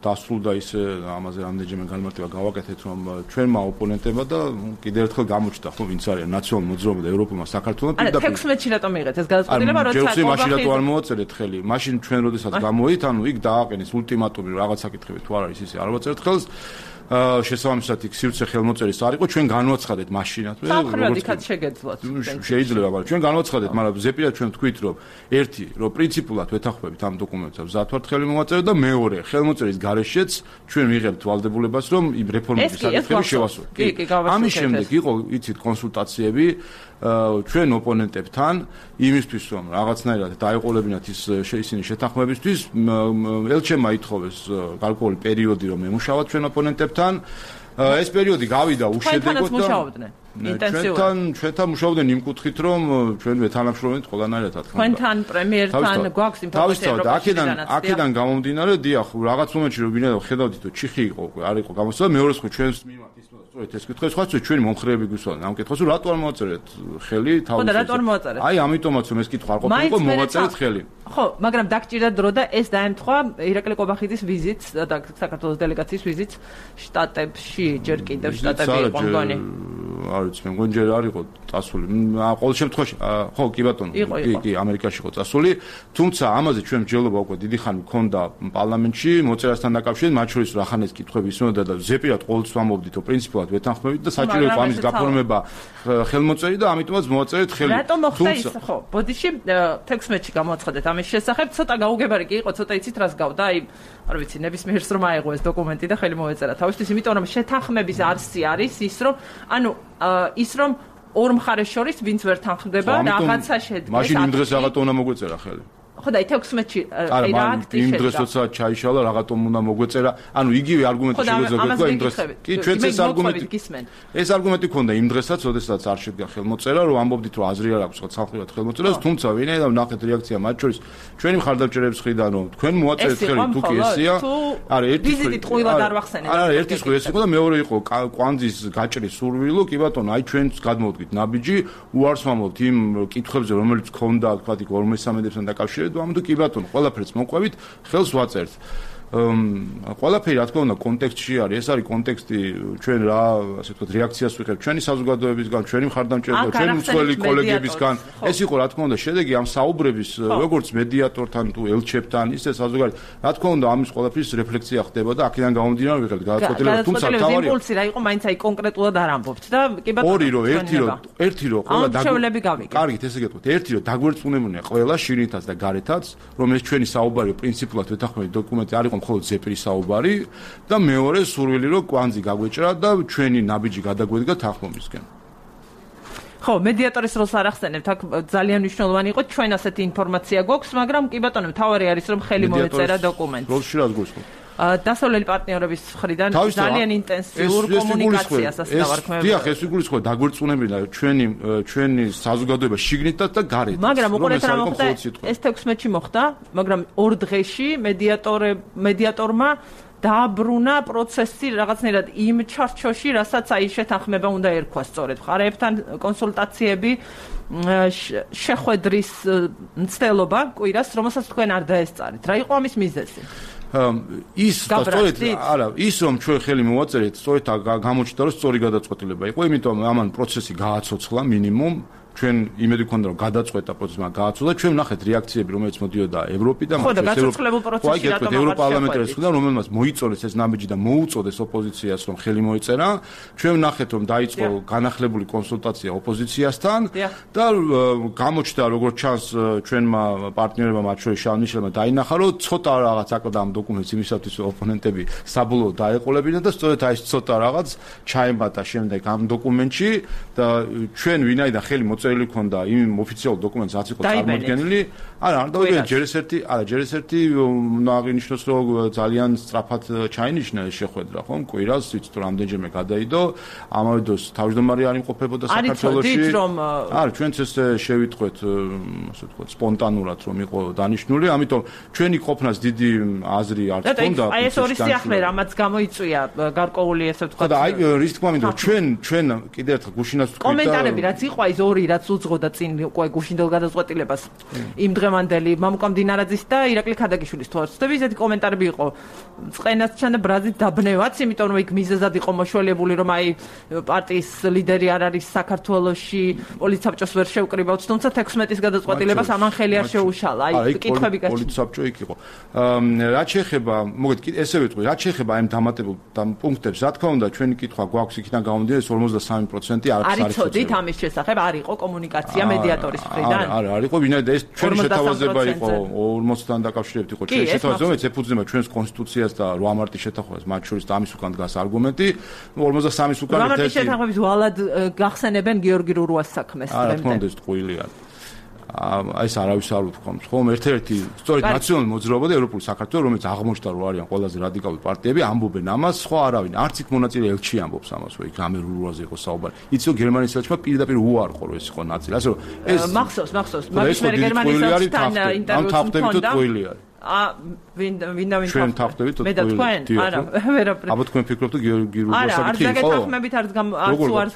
დასრულდა ისე ამაზე რამდენჯერმე განმარტება გავაკეთეთ, რომ ჩვენმა ოპონენტებმა და კიდევ ერთხელ გამოჩნდა, ხო, ვინც არის ნაციონალურ მოძრაობა და ევროპულმა საქართველოს პირდაპირ 16-ში რატომ მიიღეთ ეს გადაწყვეტილება, როცა მაშინ რატო არ მოაწერეთ ხელი? მაშინ ჩვენ როდესაც გამოვით, ანუ იქ დააყენეს ულტიმატუმი რაღაც საკითხებით თუ არ არის ისე არ მოაწერეთ ხელს. შესაბამისად იქ სივრცე ხელმოწერის არ იყო, ჩვენ განვაცხადეთ მაშინათვე. სამხრეთ იქაც შეგეძლოთ. შეიძლება, მაგრამ ჩვენ განვაცხადეთ, მაგრამ ზეპირად ჩვენ თქვით, რომ ერთი, რომ პრინციპულად ვეთანხმებით ამ დოკუმენტს, მზად ვართ ხელი მოვაწეროთ და მეორე, ხელმოწერის გარეშეც ჩვენ ვიღებთ ვალდებულებას, რომ იმ რეფორმების საკითხები შევასრულოთ. ამის შემდეგ იყო, იცით, კონსულტაციები ჩვენ ოპონენტებთან იმისთვის, რომ რაღაცნაირად დაეყოლებინათ ისინი შეთანხმებისთვის, ელჩემმა ითხოვეს გარკვეული პერიოდი, რომ ემუშავოთ ჩვენ ოპონენტებთან. ეს პერიოდი გავიდა უშედეგოდ და ჩვენთან მუშაობდნენ იმ კუთხით, რომ ჩვენ ვეთანამშრომლობთ ყველანაირად, რა თქმა უნდა. თქვენთან პრემიერთან გვაქვს ინფორმაცია, რომ აქედან გამომდინარე, დიახ, რაღაც მომენტში რომ ვინაიდან ხედავდით, რომ ჩიხი იყო უკვე, არ იყო გამოსვლა, მეორე ხო ჩვენს მიმართ სწორედ ეს კითხვა, სხვა ჩვენი მომხრეები გვისვენ ამ კითხვას, რატო არ მოაწერეთ ხელი თავის? ხო და რატო არ მოაწერეთ? აი ამიტომაც რომ ეს კითხვა არ ყოფილიყო, მოვაწერეთ ხელი. ხო, მაგრამ დაგჭირდა დრო და ეს დაემთხვა ირაკლი კობახიძის ვიზიტს და საქართველოს დელეგაციის ვიზიტს შტატებში, ჯერ კიდევ შტატები იყო მგონი. არ ვიცი, მე მგონი ჯერ არ იყო წასული. ყოველ შემთხვევაში, ხო, კი ბატონო, კი, ამერიკაში იყო წასული, თუმცა ამაზე ჩვენ მსჯელობა უკვე დიდი ხანი მქონდა პარლამენტში, მოწერასთან დაკავშირებით, მათ შორის რახანეს კითხვები ისმოდა და ზეპირად ყოველთვის ვამბობდით, რომ პრინციპულად ვეთანხმებით და საჭირო იყო ამის გაფორმება ხელმოწერი და ამიტომაც მოვაწერეთ ხელი. რატომ მოხდა ის? ხო, ბოდიში 16-ში გამოაცხადეთ ამის შესახებ, ცოტა გაუგებარი კი იყო, ცოტა იცით რას გავდა, აი, არ ვიცი, ნებისმიერს რომ აიღო ეს დოკუმენტი და ხელი მოვეწერა თავისთვის, იმიტომ რომ შეთანხმების არსი არის ის, რომ ანუ ის რომ ორ მხარეს შორის ვინც ვერ თანხმდება რაღაცა შედგეს. მაშინ იმ დღეს რაღაცა უნდა მოგვეწერა ხელი. ხო და 16-ში აი რა აქტი იმ დღეს როცა ჩაიშალა რაღაცა უნდა მოგვეწერა. ანუ იგივე არგუმენტი შეგვეძლო იმ დღეს. კი, ჩვენც ეს არგუმენტი გისმენთ. ეს არგუმენტი ქონდა იმ დღესაც, როდესაც არ შედგა ხელმოწერა, რომ ამბობდით, რომ აზრი არ აქვს ხალხურად ხელმოწერას, თუმცა ვინაიდან ვნახეთ რეაქცია მათ შორის ჩვენი მხარდამჭერების მხრიდან, რომ თქვენ მოაწერეთ ხელი თუ კი ესია. არა, ერთი ის იყო და მეორე იყო კვანძის გაჭრის სურვილო, კი ბატონო, აი ჩვენც გადმოვდგით ნაბიჯი, უარს ვამბობთ იმ კითხვებზე, რომელიც ქონდა, თქვა იქ 53-თან დაკავშირებით. ამიტომ კი ბატონო, ყველაფერს მოყვებით, ხელს ვაწერთ. ყველაფერი რა თქმა უნდა კონტექსტში არის, ეს არის კონტექსტი ჩვენ რა, ასე ვთქვათ, რეაქციას ვიღებთ ჩვენი საზოგადოებისგან, ჩვენი მხარდამჭერებისგან, ჩვენი უცხოელი კოლეგებისგან. ეს იყო რა თქმა უნდა შედეგი ამ საუბრების, როგორც მედიატორთან თუ ელჩებთან, ისე საზოგადოებრივ. რა თქმა უნდა ამის ყველაფრის რეფლექსია ხდება და აქედან გამომდინარე ვიღებთ გადაწყვეტილებას, თუმცა თავარი იმპულსი რა იყო, მაინც აი კონკრეტულად არ ამბობთ და კი ბატონო. ორი რო, ერთი რო ყველა კარგით, ესე გეტყვით, ერთი რო დაგვერწმუნებია ყველა შინითაც და გარეთაც, რომ ეს ჩვენი საუბარი პრინციპულად ვეთანხმებით დოკუმენტი არ იყო მხოლოდ ზეპირის საუბარი და მეორე სურვილი რომ კვანძი გაგვეჭრა და ჩვენი ნაბიჯი გადაგვედგა თანხმობისკენ. ხო, მედიატორის როლს არ ახსენებთ, აქ ძალიან მნიშვნელოვანი იყო, ჩვენ ასეთი ინფორმაცია გვაქვს, მაგრამ კი ბატონო, თავარი არის რომ ხელი მოეწერა დოკუმენტს. როლში რას გულისხმობ? დასავლელი პარტნიორების მხრიდან ძალიან ინტენსიურ კომუნიკაციას ასე დავარქმევ. დიახ, ეს ვიგულისხმობ დაგვერწმუნებინა ჩვენი საზოგადოება შიგნითაც და გარეთ. მაგრამ უყურეთ რა მოხდა, ეს 16-ში მოხდა, მაგრამ ორ დღეში მედიატორმა დააბრუნა პროცესი რაღაცნაირად იმ ჩარჩოში, რასაც აი შეთანხმება უნდა ერქვა სწორედ მხარეებთან კონსულტაციები, შეხვედრის მცდელობა კვირას, რომელსაც თქვენ არ დაესწარით. რა იყო ამის მიზეზი? ის სწორედ არა ის რომ ჩვენ ხელი მოვაწერეთ სწორედ გამოჩნდა რომ სწორი გადაწყვეტილება იყო იმიტომ ამან პროცესი გააცოცხლა მინიმუმ ჩვენ იმედი გქონდა რომ გადაწყვეტა პროცესი, მაგრამ გააცოლა. ჩვენ ვნახეთ რეაქციები, რომელიც მოდიოდა ევროპიდან, ხო და გაცოცხლებულ პროცესში რატომ ევროპარლამენტის ხდა, რომელმაც მოიწონეს ეს ნაბიჯი და მოუწოდეს ოპოზიციას რომ ხელი მოეწერა. ჩვენ ვნახეთ რომ დაიწყო განახლებული კონსულტაცია ოპოზიციასთან და გამოჩნდა როგორც ჩანს ჩვენმა პარტნიორებმა, მათ შორის შავნიშვილმა დაინახა რომ ცოტა რაღაც აკლდა ამ დოკუმენტს იმისათვის რომ ოპონენტები საბოლოოდ დაეყოლებინათ და სწორედ აი ეს ცოტა რაღაც ჩაემატა შემდეგ ამ დოკუმენტში და ჩვენ ვინაიდან ხელი მოწერილი ქონდა იმ ოფიციალურ დოკუმენტს რაც იყო წარმოდგენილი, არა ჯერ ერთი უნდა აღინიშნოს რომ ძალიან სწრაფად ჩაინიშნა ეს შეხვედრა, ხომ? კვირას ვიცით რომ რამდენჯერმე გადაიდო, ამავე დროს თავმჯდომარე არ იმყოფებოდა საქართველოში. არა, ჩვენც ეს შევიტყვეთ, ასე ვთქვათ, სპონტანურად რომ იყო დანიშნული, ამიტომ ჩვენი ყოფნას დიდი აზრი არ ჰქონდა. აი ეს ორი სიახლე რამაც გამოიწვია გარკვეული ესე ვთქვათ. და აი რის თქმა უნდა ჩვენ კიდევ ერთხელ გუშინაც ვთქვით და კომენტარები რაც იყო ის ორი რაც უძღოდა წინ უკვე გუშინდელ გადაწყვეტილებას იმ დღევანდელი მამუკამ დინარაძის და ირაკლი ქადაგიშვილის თვალსაჩინო ესეთი კომენტარები იყო წყენასთან და ბრაზით დაბნევაც, იმიტომ რომ იქ მიზეზად იყო მოშველებული რომ აი პარტიის ლიდერი არ არის საქართველოში, პოლიცსაბჭოს ვერ შევკრიბავთ, თუმცა 16-ის გადაწყვეტილებას ამან ხელი არ შეუშალა. აი კითხვები გაჩნდა. პოლიცსაბჭო იქ იყო. რაც შეეხება, მოგეთ ესე ვიტყვი, რაც შეეხება ამ დამატებულ პუნქტებს, რა თქმა უნდა, ჩვენი კითხვა გვაქვს იქიდან გამომდინარე 53% არაფერს არ იცოდით ამის შესახებ, არ იყო კომუნიკაცია მედიატორის მხრიდან? არ იყო, ვინაიდან ეს ჩვენი შეთავაზება იყო 40-დან დაკავშირებით იყო ჩვენი შეთავაზება, რომელიც ეფუძნება ჩვენს კონსტიტუციას და 8 მარტის შეთანხმებას, მათ შორის და ამის უკან დგას არგუმენტი, 53-ის უკან ერთ-ერთი 8 მარტის შეთანხმების ვალად გახსენებენ გიორგი რურუას საქმეს დღემდე. რა თქმა უნდა, ეს ტყუილი არის. აი ეს არავის არ უთქვამს, ხომ? ერთ-ერთი სწორედ ნაციონალური მოძრაობა და ევროპული საქართველო, რომელიც აღმოჩნდა რომ არიან ყველაზე რადიკალური პარტიები, ამბობენ ამას, სხვა არავინ. არც იქ მონაწილე ელჩი ამბობს ამას, რომ იქ ამერ რურუაზე იყო საუბარი. იცი რომ გერმანიის ელჩმა პირდაპირ უარყო რომ ეს იყო ნაწილი. ასე რომ ეს მახსოვს. მაგის მე გერმანიის ელჩთან ინტერვიუს მქონდა. ვინდა ჩვენ თახტებით მე და თქვენ არა ვერაფერი აბა თქვენ ფიქრობთ გიორგი რურუას საკითხი იყო? არა, არ დაგეთახმებით არც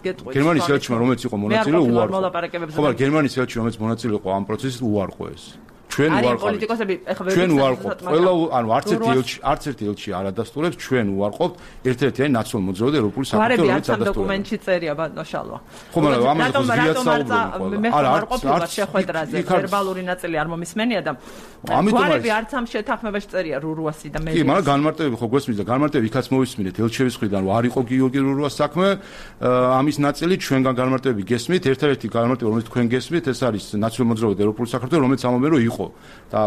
გეტყვით. გერმანიის ელჩმა რომელიც იყო მონაწილე უარყო. ხო, მაგრამ გერმანიის ელჩი რომელიც მონაწილე იყო ამ პროცესში უარყო ეს. ჩვენ უარყავთ პოლიტიკოსები, ეხლა ჩვენ უარყავთ. ყველა ანუ არც ერთი ელჩი არ ადასტურებს, ჩვენ უარყავთ. ერთ-ერთი არის ნაციონალური მოძრაობა და ევროპული საქართველო, რომელიც ადასტურებს. დოკუმენტში წერია ბატონო შალვა. ხო, მაგრამ ამაზე ზოგადად საუბრობენ. მე ხარ ყოფილი შეხვედრაზე, ვერბალური ნაწილი არ მომისმენია და გვარები არც ამ შეთანხმებაში წერია რურუასი და მე. კი, მაგრამ განმარტებები ხო გვესმის და განმარტებები იქაც მოვისმინეთ ელჩევის მხრიდან, რომ არ იყო გიორგი რურუას საქმე, ამის ნაწილი ჩვენგან განმარტებები გესმით, ერთ-ერთი განმარტება რომელიც თქვენ გესმით, ეს არის ნაციონალური მოძრაობა და ევროპული საქართველო, რომელიც ამბობენ რომ იყო და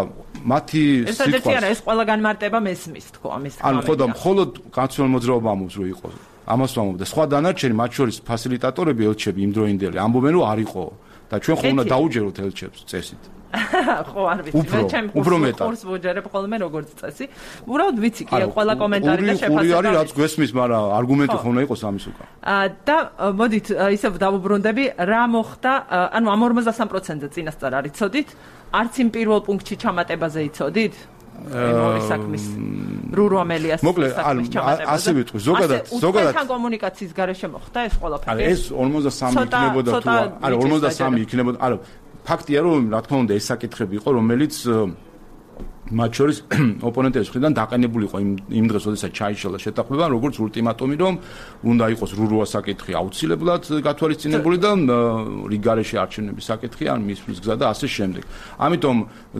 მათი სიტყვა ეს ყველა განმარტება მესმის თქო ამის თქმა. ანუ ხო და მხოლოდ ნაციონალური მოძრაობა ამბობს რომ იყო. ამას ვამბობ და სხვა დანარჩენი მათ შორის ფასილიტატორები ელჩები იმდროინდელი ამბობენ რომ არ იყო და ჩვენ ხო უნდა დაუჯეროთ ელჩებს წესით. ხო არ ვიცი მე ჩემი კურს ვუჯერებ ხოლმე როგორც წესი. უბრალოდ ვიცი კი ყველა კომენტარი და შეფასება. ორი არის რაც გვესმის, მაგრამ არგუმენტი ხო უნდა იყოს ამის უკან. და მოდით ისევ დავუბრუნდები რა მოხდა, ანუ ამ 53%-ზე წინასწარ არ იცოდით? არც იმ პირველ პუნქტში ჩამატებაზე იცოდით? ორი საქმის რურუამელიას საქმის ჩამატებაზე. ასე ვიტყვი, ზოგადად თან კომუნიკაციის გარეშე მოხდა ეს ყველაფერი. არა, ეს 53 იქნებოდა თუ არა 53 იქნებოდა, არა ფაქტია რომ რა თქმა უნდა ეს საკითხები იყო რომელიც მათ შორის ოპონენტების მხრიდან დაყენებული იყო იმ დღეს, როდესაც ჩაიშალა შეთანხმება, როგორც ultimatumi, რომ უნდა იყოს რურუას საკითხი აუცილებლად გათვალისწინებული და რიგარეში არჩევნების საკითხი ან მის გზა და ასე შემდეგ. ამიტომ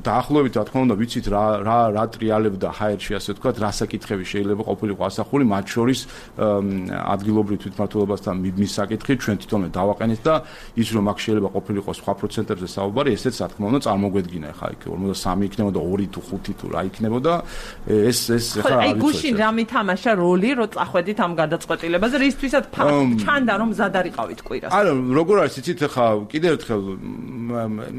დაახლოებით რა თქმა უნდა ვიცით რა ტრიალებდა ჰაერში, ასე ვთქვათ, რა საკითხები შეიძლება ყოფილიყო ასახული, მათ შორის ადგილობრივ თვითმმართველობასთან მის საკითხი ჩვენ თვითონვე დავაყენეთ და ის რომ აქ შეიძლება ყოფილიყო სხვა პროცენტებზე საუბარი, ესეც რა თქმა უნდა წარმოგვედგინა ხა იქ 53 იქნებოდა 2 თუ 5 თუ რა იქნებოდა ეს ხა აი გუშინ რა მითამაშა როლი რომ წახვედით ამ გადაწყვეტილებაზე რისთვისაც ჩანდა რომ ზადარიყავით კვირას არა როგორ არის იცით ხა კიდევ ერთხელ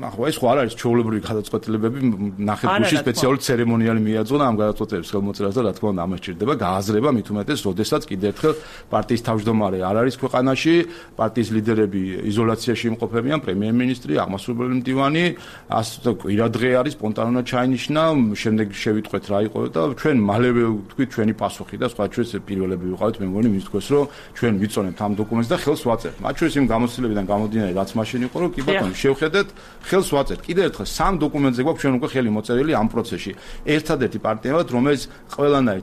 ახლა ეს ხო არ არის ჩვეულებრივი გადაწყვეტილებები ნახეთ გუშინ სპეციალური ცერემონიალი მიაძღო და ამ გადაწყვეტილების ხელმოწერას და რა თქმა უნდა ამას ჭირდება გააზრება მით უმეტეს როდესაც კიდევ ერთხელ პარტიის თავმჯდომარე არ არის ქვეყანაში პარტიის ლიდერები იზოლაციაში იმყოფებიან პრემიერ-მინისტრი აღმასრულებელი მდივანი ასე კვირადღე არის სპონტანურად ჩაინიშნა შემდეგ შევიტყვეთ რა იყო და ჩვენ მალევე ვთქვით ჩვენი პასუხი და სხვა ჩვენს პირველები ვიყავით მე მგონი მის თქოს რომ ჩვენ ვიწონებთ ამ დოკუმენტს და ხელს ვაწერთ მათ შორის იმ გამოცდილებიდან გამომდინარე რაც მაშინ იყო რომ კი ბატონო შევხედეთ ხელს ვაწერთ კიდევ ერთხელ სამ დოკუმენტზე გვაქვს ჩვენ უკვე ხელი მოწერილი ამ პროცესში ერთადერთი პარტია ვართ რომელიც ყველანაირ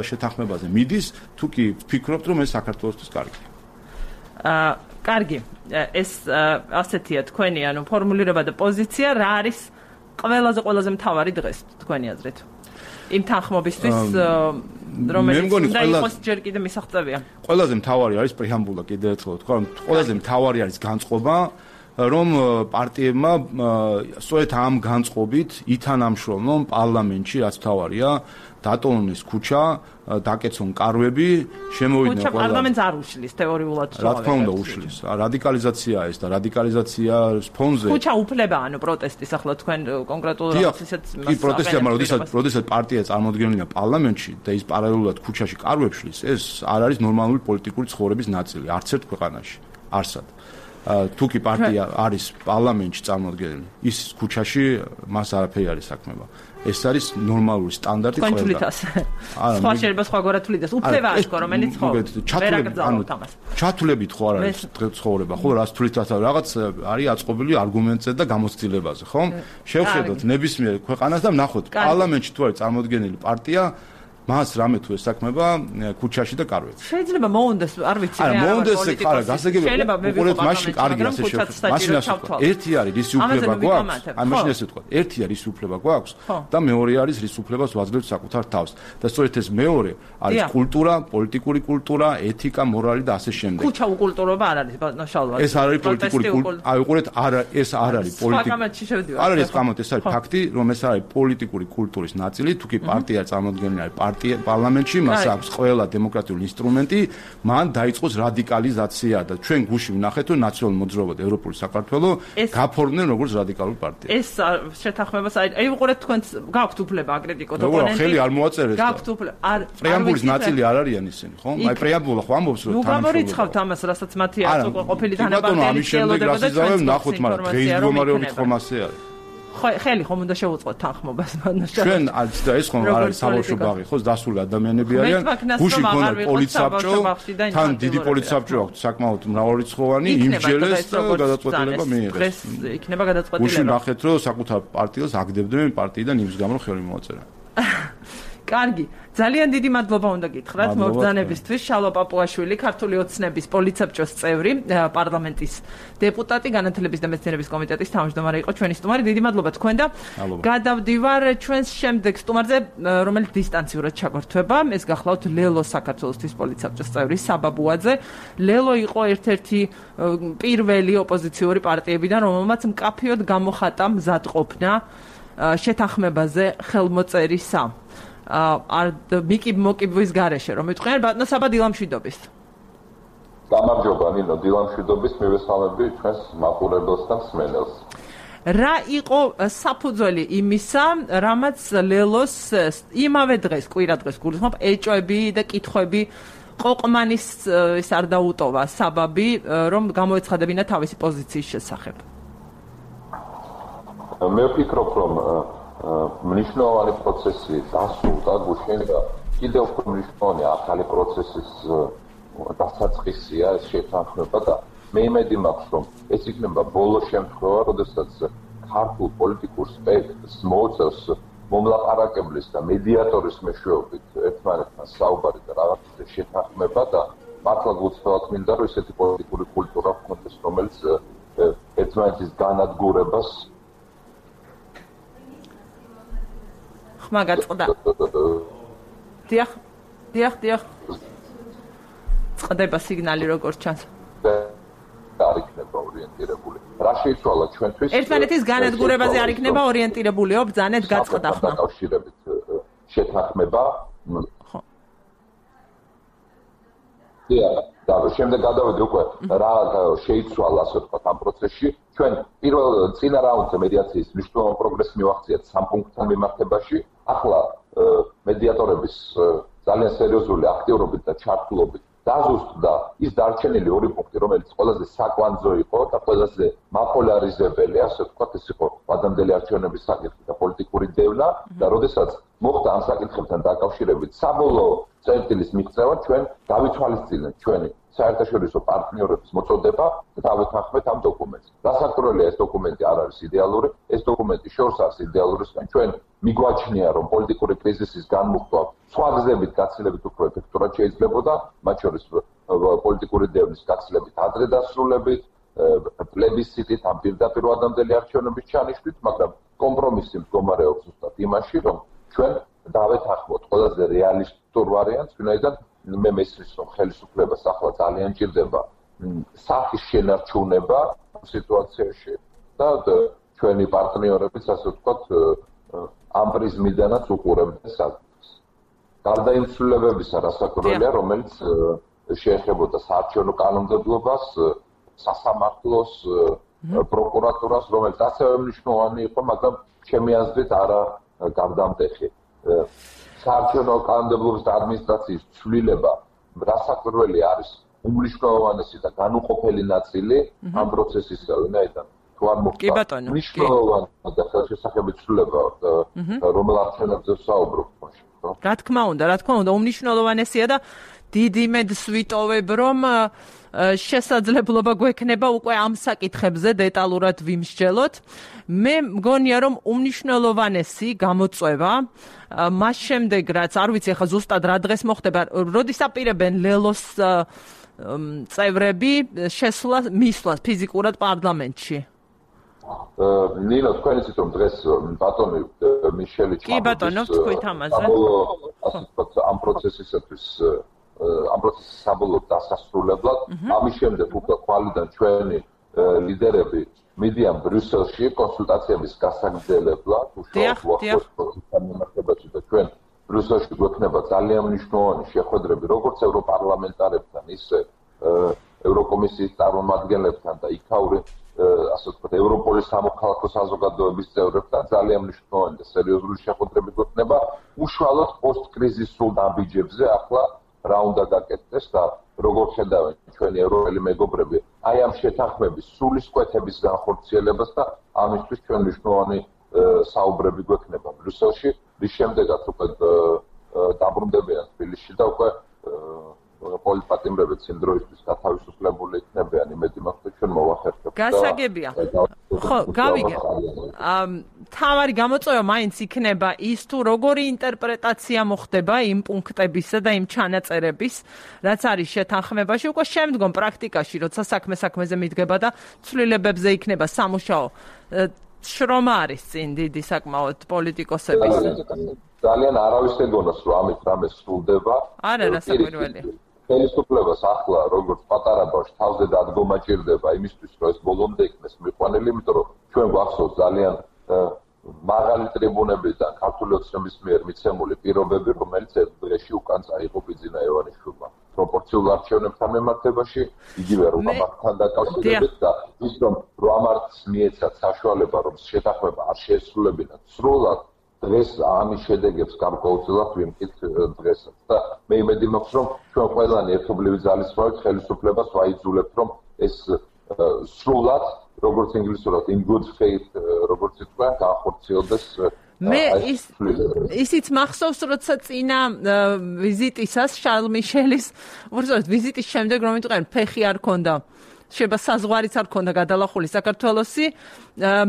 შეთანხმებაზე მიდის თუ კი ფიქრობთ რომ ეს საქართველოსთვის კარგია კარგი, ეს ასეთია თქვენი, ანუ ფორმულირება და პოზიცია, რა არის ყველაზე მთავარი დღეს თქვენი აზრით? იმ თანხმობისთვის, რომელიც უნდა იყოს ჯერ კიდე მისაღწევია. ყველაზე მთავარი არის პრეამბულა, კიდევ ერთხელ ვთქვა, რომ ყველაზე მთავარი არის განწყობა, რომ პარტიებმა სწორედ ამ განწყობით ითანამშრომლონ პარლამენტში, რაც მთავარია, დატოვონ ქუჩა, დაკეცონ კარვები, შემოვიდნენ ყველა. ქუჩა პარლამენტს არ უშლის თეორიულად. რა თქმა უნდა უშლის. რადიკალიზაციაა ეს და რადიკალიზაციას ფონზე. ქუჩა უფლება, ანუ პროტესტის ახლა თქვენ კონკრეტულად ისეთ კი პროტესტია, მაგრამ როდესაც პარტია წარმოადგენლია პარლამენტში და ის პარალელურად ქუჩაში კარვებს შლის, ეს არ არის ნორმალური პოლიტიკური ცხოვრების ნაწილი, არც ერთ ქვეყანაში. არსად. თუ კი პარტია არის პარლამენტში წარმოადგენელი, ის ქუჩაში მას არაფერი არის საქმეება. ეს არის ნორმალური სტანდარტი ყველა. თქვენ თვლით ასე. სხვა შეიძლება სხვაგვარად თვლით, უფლება არის, რომელიც ხო. ჩათვლებით ხო არ არის ცხოვრება, ხო, რას თვლით რაღაც არის აწყობილი არგუმენტზე და გამოცდილებაზე, ხო? შევხედოთ ნებისმიერ ქვეყანას და ვნახოთ პარლამენტში თუ არის წარმოადგენელი პარტია მას რამე თუ ესაქმება ქუჩაში და კარვებში. შეიძლება მოუნდეს, არ ვიცი, არა, მოუნდეს ხარა, გასაგებია. უყურეთ მაშინ კარგი ასე შევხედოთ. მაშინ ასე ვთქვა. ერთი არის რის უფლება გვაქვს? აი მაშინ ესე ვთქვა. ერთი არის რის უფლება გვაქვს და მეორე არის რის უფლებას ვაძლევთ საკუთარ თავს. და სწორედ ეს მეორე არის კულტურა, პოლიტიკური კულტურა, ეთიკა, მორალი და ასე შემდეგ. ქუჩა უკულტურობა არ არის, ნაშალვა. ეს არ არის პოლიტიკური კულტურა. აი უყურეთ, ეს არ არის პოლიტიკური. არ არის კამოთ, ეს არის ფაქტი, რომ ეს არის პოლიტიკური კულტურის ნაწილი, თუ კი პარტია წარმოადგენელი არის პარლამენტში მას აქვს ყველა დემოკრატიული ინსტრუმენტი, მან დაიწყოს რადიკალიზაცია და ჩვენ გუში ვნახეთ, რომ ნაციონალურ მოძრაობა და ევროპული საქართველო გაფორმდნენ როგორც რადიკალური პარტია. ეს შეთანხმებას აი უყურეთ თქვენს გაქვთ უფლება აკრიტიკოთ ოპონენტი. ხელი არ მოაწერეს. გაქვთ უფლება. პრეამბულის ნაწილი არ არიან ისინი, ხო? აი პრეამბულა ხო ამბობს რომ თანამშრომლობა. ნუ გამორიცხავთ ამას, რასაც მათი არც უკვე ყოფილი თანაბარდელი ელოდება და ჩვენ ნახოთ, მაგრამ დღეის მდგომარეობით ხომ ასე არის. ხელი ხომ უნდა შევუწყოთ თანხმობას მანაშა. ჩვენ და ეს ხომ არ არის საბავშვო ბაღი, ხო, დასული ადამიანები არიან. გუში მქონდა პოლიცსაბჭო, თან დიდი პოლიცსაბჭო აქვს, საკმაოდ მრავალრიცხოვანი, იმჯელეს და გადაწყვეტილება მიიღეს. დღეს იქნება გადაწყვეტილება. გუში ნახეთ, რომ საკუთარ პარტიას აგდებდნენ პარტიიდან იმის გამო ხელი მოაწერა. კარგი, ძალიან დიდი მადლობა უნდა გითხრათ მობრძანებისთვის. შალვა პაპუაშვილი, ქართული ოცნების პოლიცსაბჭოს წევრი, პარლამენტის დეპუტატი, განათლების და მეცნიერების კომიტეტის თავმჯდომარე იყო ჩვენი სტუმარი. დიდი მადლობა თქვენ და გადავდივარ ჩვენს შემდეგ სტუმარზე, რომელიც დისტანციურად ჩაგვერთვება. ეს გახლავთ ლელო საქართველოსთვის პოლიცსაბჭოს წევრი საბა ბუაძე. ლელო იყო ერთ-ერთი პირველი ოპოზიციური პარტიებიდან, რომელმაც მკაფიოდ გამოხატა მზადყოფნა შეთანხმებაზე ხელმოწერისა. მოკიბვის გარეშე რომ მეთქვენ ბატონო საბა დილამშვიდობის. გამარჯობა ნინო, დილამშვიდობის მივესალმები ჩვენს მაყურებელს და მსმენელს. რა იყო საფუძველი იმისა, რამაც ლელოს იმავე დღეს, კვირა დღეს გულისხმობ, ეჭვები და კითხვები ყოყმანის ის არ დაუტოვა საბაბი, რომ გამოეცხადებინა თავისი პოზიციის შესახებ. მე ვფიქრობ, რომ მნიშვნელოვანი პროცესი დასრულდა გუშინ და კიდევ უფრო მნიშვნელოვანი ახალი პროცესის დასაწყისია ეს შეთანხმება და მე იმედი მაქვს რომ ეს იქნება ბოლო შემთხვევა, როდესაც ქართულ პოლიტიკურ სპექტრს მოუწევს მომლაპარაკებლის და მედიატორის მეშვეობით ერთმანეთთან საუბარი და რაღაცა შეთანხმება და მართლა გულწრფელად მინდა რომ ესეთი პოლიტიკური კულტურა ჰქონდეს, რომელიც ერთმანეთის განადგურებას მაგაწყდა. დიახ. წდება სიგნალი როგორც ჩანს. არ იქნება ორიენტირებული. რა შეიცვალა ჩვენთვის? ერთმანეთის განადგურებაზე არ იქნება ორიენტირებულიო, ბრძანეთ გაწყდა ხმა. დაკავშირებით შეთანხმება. ხო. დიახ, და შემდეგ გადავედი უკვე რა შეიცვალა ასე ვთქვათ ამ პროცესში. ჩვენ პირველ წინა რაუნდზე მედიაციის მნიშვნელოვანი პროგრესი მივახციეთ 3 პუნქტთან მიმართებაში. ახლა მედიატორების ძალიან სერიოზული აქტიურობით და ჩართულობით დაზუსტდა ის დარჩენილი 2 პუნქტი, რომელიც ყველაზე საკვანძო იყო და ყველაზე მაპოლარიზებელი, ასე ვთქვათ, ეს იყო ვადამდელი არჩევნების საკითხი და პოლიტიკური დევნა და როდესაც მოხდა ამ საკითხებთან დაკავშირებით საბოლოო წერტილის მიღწევა ჩვენ დავითვალისწინეთ ჩვენი საერთაშორისო პარტნიორების მოწოდება და დავეთანხმეთ ამ დოკუმენტს. დასაკვირველია ეს დოკუმენტი არ არის იდეალური, ეს დოკუმენტი შორს არის იდეალურისგან. ჩვენ მიგვაჩნია, რომ პოლიტიკური კრიზისის განმუხტვა სხვა გზებით გაცილებით უფრო ეფექტურად შეიძლებოდა, მათ შორის პოლიტიკური დევნის გაცილებით ადრე დასრულებით, პლებისციტით ამ პირდაპირ ადამდელი არჩევნების ჩანიშვნით, მაგრამ კომპრომისი მდგომარეობს ზუსტად იმაში, რომ ჩვენ დავეთანხმოთ ყველაზე რეალისტურ ვარიანტს, ვინაიდან მე მესმის, რომ ხელისუფლებას ახლა ძალიან ჭირდება სახის შენარჩუნება სიტუაციაში და ჩვენი პარტნიორებიც, ასე ვთქვათ, ამ პრიზმიდანაც უყურებდნენ საკითხს. გარდა იმ ცვლილებებისა, რასაკვირველია, რომელიც შეეხებოდა საარჩევნო კანონმდებლობას, სასამართლოს, პროკურატურას, რომელიც ასევე მნიშვნელოვანი იყო, მაგრამ ჩემი აზრით არა გარდამტეხი. საარჩევნო კანონმდებლობის და ადმინისტრაციის ცვლილება რასაკვირველი არის უმნიშვნელოვანესი და განუყოფელი ნაწილი ამ პროცესისა, ვინაიდან თუ არ მოხდა მნიშვნელოვანი და ხელშესახებითი ცვლილება, რომელ არჩევნებზე ვსაუბრობ თქოში. რა თქმა უნდა, უმნიშვნელოვანესია და დიდ იმედს ვიტოვებ, რომ შესაძლებლობა გვექნება უკვე ამ საკითხებზე დეტალურად ვიმსჯელოთ. მე მგონია, რომ უმნიშვნელოვანესი გამოწვევა მას შემდეგ, რაც არ ვიცი ახლა ზუსტად რა დღეს მოხდება, როდის აპირებენ ლელოს წევრები მისვლას ფიზიკურად პარლამენტში. ნინო, თქვენ იცით, რომ დღეს ბატონი მიშელი კი ბატონო, თქვით ამაზე. ამ პროცესისათვის ამ პროცესის საბოლოო დასასრულებლად, ამის შემდეგ უკვე ხვალიდან ჩვენი ლიდერები მიდიან ბრიუსელში კონსულტაციების გასაგრძელებლად, უშუალოდ პროცესთან და ჩვენ ბრიუსელში გვექნება ძალიან მნიშვნელოვანი შეხვედრები, როგორც ევროპარლამენტარებთან, ისე ევროკომისიის წარმომადგენლებთან და იქაური ასე ვთქვათ, ევროპოლის სამოქალაქო საზოგადოების წევრებთან ძალიან მნიშვნელოვანი და სერიოზული შეხვედრები გვექნება უშუალოდ პოსტკრიზისულ ნაბიჯებზე ახლა რა უნდა გაკეთდეს და როგორ ხედავენ ჩვენი ევროპელი მეგობრები აი ამ შეთანხმების სულისკვეთების განხორციელებას და ამისთვის ჩვენ მნიშვნელოვანი საუბრები გვექნება ბრიუსელში, რის შემდეგაც უკვე დაბრუნდებიან თბილისში და უკვე პოლიტპატიმრებიც იმ დროისთვის გათავისუფლებული იქნებიან, იმედი მაქვს, ჩვენ მოვახერხებთ. გასაგებია. ხო, გავიგე. თავარი გამოწვევა მაინც იქნება ის თუ როგორი ინტერპრეტაცია მოხდება იმ პუნქტებისა და იმ ჩანაწერების, რაც არის შეთანხმებაში, უკვე შემდგომ პრაქტიკაში, როცა საქმეზე მიდგება და ცვლილებებზე იქნება სამუშაო. შრომა არის წინ დიდი საკმაოდ პოლიტიკოსების. ძალიან არავის ეგონას, რომ ამით რამე სრულდება. არა, რასაკვირველია. ხელისუფლებას ახლა როგორც პატარა ბავშვს თავზე დადგომა ჭირდება იმისთვის, რომ ეს ბოლომდე იქნეს მიყვანილი, იმიტომ რომ ჩვენ გვახსოვს ძალიან მაღალი ტრიბუნებიდან ქართული ოცნების მიერ მიცემული პირობები, რომელიც ერთ დღეში უკან წაიღო ბიძინა ივანიშვილმა. პროპორციულ არჩევნებთან მიმართებაში, იგივე რომამართთან დაკავშირებით და ის რომ რომამართს მიეცათ საშუალება, რომ შეთანხმება არ შეესრულებინათ სრულად, დღეს ამის შედეგებს გარკვეულწილად ვიმკით დღესაც და მე იმედი მაქვს, რომ ჩვენ ყველანი ერთობლივი ძალისხმევით ხელისუფლებას ვაიძულებთ, რომ ეს სრულად, როგორც ინგლისურად in good faith, როგორც ითქვა, განხორციელდეს. მე ისიც მახსოვს, როცა წინა ვიზიტისას შარლ მიშელის, უბრალოდ ვიზიტის შემდეგ რომ იტყვიან ფეხი არ ქონდა. შეიძლება საზღვარიც არ ქონდა გადალახული საქართველოსი.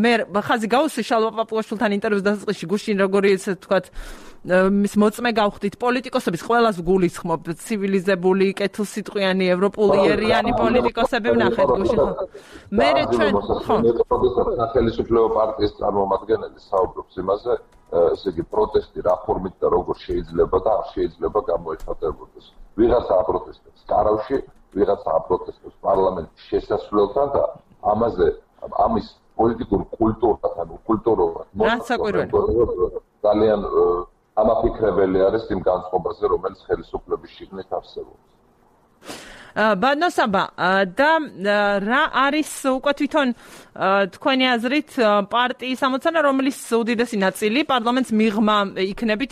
მე ხაზი გავუსვი შალვა პაპუაშვილთან ინტერვიუს დასაწყისში გუშინ როგორი ესე ვთქვათ მის მოწმე გავხდით პოლიტიკოსების ყველას გულისხმობ ცივილიზებული კეთილსიტყვიანი ევროპულიერიანი პოლიტიკოსები ვნახეთ გუშინ ხო მე ჩვენ ხო სახელმწიფო პარტიის წარმომადგენელი საუბრობს იმაზე ესე იგი პროტესტი რა ფორმით და როგორ შეიძლება და არ შეიძლება გამოიხატებოდეს ვიღაცა აპროტესტებს კარავში ვიღაცა აპროტესტებს პარლამენტის შესასვლელთან და ამაზე ამის პოლიტიკურ კულტურასთან უკულტურობად ძალიან ამაფიქრებელი არის იმ განწყობაზე, რომელიც ხელისუფლების შიგნით არსებობს. ბანოსაბა და რა არის უკვე თვითონ თქვენი აზრით პარტიის ამოცანა, რომლის უდიდესი ნაწილი პარლამენტს მიღმა იქნებით,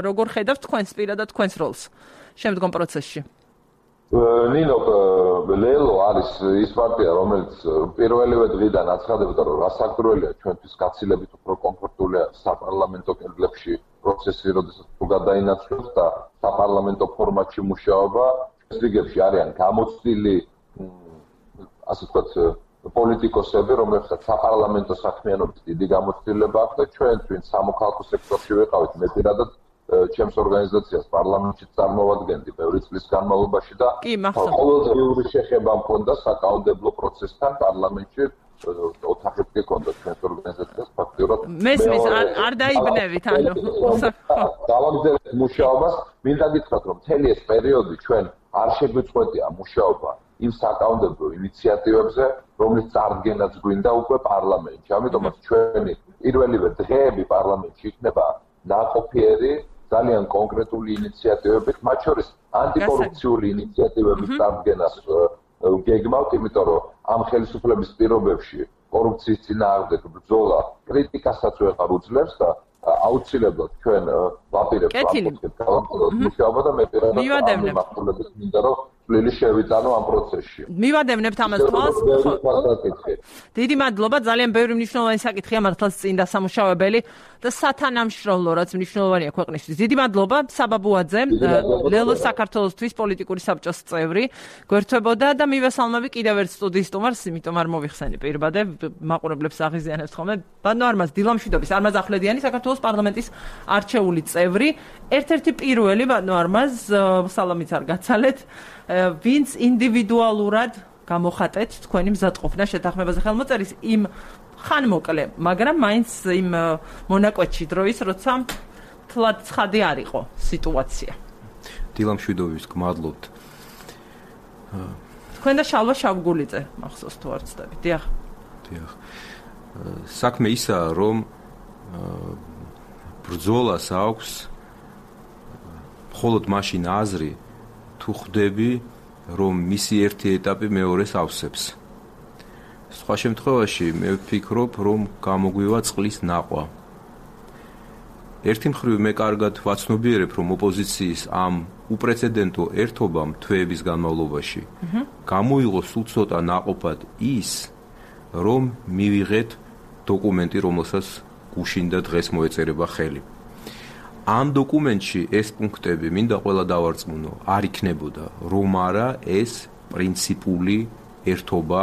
როგორ ხედავთ თქვენს პირადად თქვენს როლს შემდგომ პროცესში? ნინო, ლელო არის ის პარტია, რომელიც პირველივე დღიდან აცხადებდა, რომ რასაკვირველია ჩვენთვის გაცილებით უფრო კომფორტულია საპარლამენტო კედლებში პროცესი, როდესაც თუ გადაინაცვლებს და საპარლამენტო ფორმატში მუშაობა, რიგებში არიან გამოცდილი, ასე ვთქვათ, პოლიტიკოსები, რომლებსაც საპარლამენტო საქმიანობის დიდი გამოცდილება აქვს და ჩვენ ვინც სამოქალაქო სექტორში ვიყავით, მე პირადად ჩემს ორგანიზაციას პარლამენტში წარმოვადგენდი ბევრი წლის განმავლობაში და ყოველდღიური შეხება მქონდა საკანონმდებლო პროცესთან პარლამენტში ოთახით გქონდა ჩვენს ორგანიზაციას ფაქტიურად მესმის არ დაიბნევით ანუ დავაგზავნეთ მუშაობას მინდა გითხრათ რომ მთელი ეს პერიოდი ჩვენ არ შეგვიწყვეტია მუშაობა იმ საკანონმდებლო ინიციატივებზე რომლის წარდგენაც გვინდა უკვე პარლამენტში ამიტომაც ჩვენი პირველივე დღეები პარლამენტში იქნება ნაყოფიერი ძალიან კონკრეტული ინიციატივებით მათ შორის ანტიკორუფციული ინიციატივების წარდგენას გეგმავთ, იმიტომ რომ ამ ხელისუფლების პირობებში კორუფციის წინააღმდეგ ბრძოლა კრიტიკასაც ვეღარ უძლებს და აუცილებლად ჩვენ ვაპირებთ მუშაობა და მე პირადად ამ მიმართულებით მინდა რომ წვლილი შევიტანო ამ პროცესში. მივადევნებთ ამას თვალს. დიდი მადლობა, ძალიან ბევრი მნიშვნელოვანი საკითხია მართლაც წინ დასამუშავებელი და სათანამშრომლო რაც მნიშვნელოვანია ქვეყნისთვის. დიდი მადლობა საბაბუაძე, ლელოს საქართველოსთვის პოლიტიკური საბჭოს წევრი, გვერდთვებოდა და მივესალმები კიდევ ერთ სტუდიის სტუმარს, იმიტომ არ მოვიხსენი პირბადე, მაყურებლებს აღიზიანებთ ხოლმე. ბანო არმაზ დილამშვიდობის, არმაზ ახვლედიანი საქართველოს პარლამენტის არჩეული წევრი, ერთ-ერთი პირველი ბანო არმაზ, სალამიც არ გაცალეთ. ვინც ინდივიდუალურად გამოხატეთ თქვენი მზადყოფნა შეთანხმებაზე ხელმოწერის იმ ხანმოკლე, მაგრამ მაინც იმ მონაკვეთში დროის, როცა თლად ცხადი არ იყო სიტუაცია. დილამშვიდობის გმადლობთ. თქვენ და შალვა შავგულიძე მახსოვს თუ არ ვცდები. დიახ. დიახ. საქმე ისაა, რომ ბრძოლას აქვს მხოლოდ მაშინ აზრი თუ ხვდები, რომ მისი ერთი ეტაპი მეორეს ავსებს. სხვა შემთხვევაში მე ვფიქრობ, რომ გამოგვივა წყლის ნაყვა. ერთი მხრივ მე კარგად ვაცნობიერებ, რომ ოპოზიციის ამ უპრეცედენტო ერთობამ თვეების განმავლობაში გამოიღო სულ ცოტა ნაყოფად ის, რომ მივიღეთ დოკუმენტი, რომელსაც გუშინდა დღეს მოეწერება ხელი. ამ დოკუმენტში ეს პუნქტები მინდა ყველა დავარწმუნო, არ იქნებოდა, რომ არა ეს პრინციპული ერთობა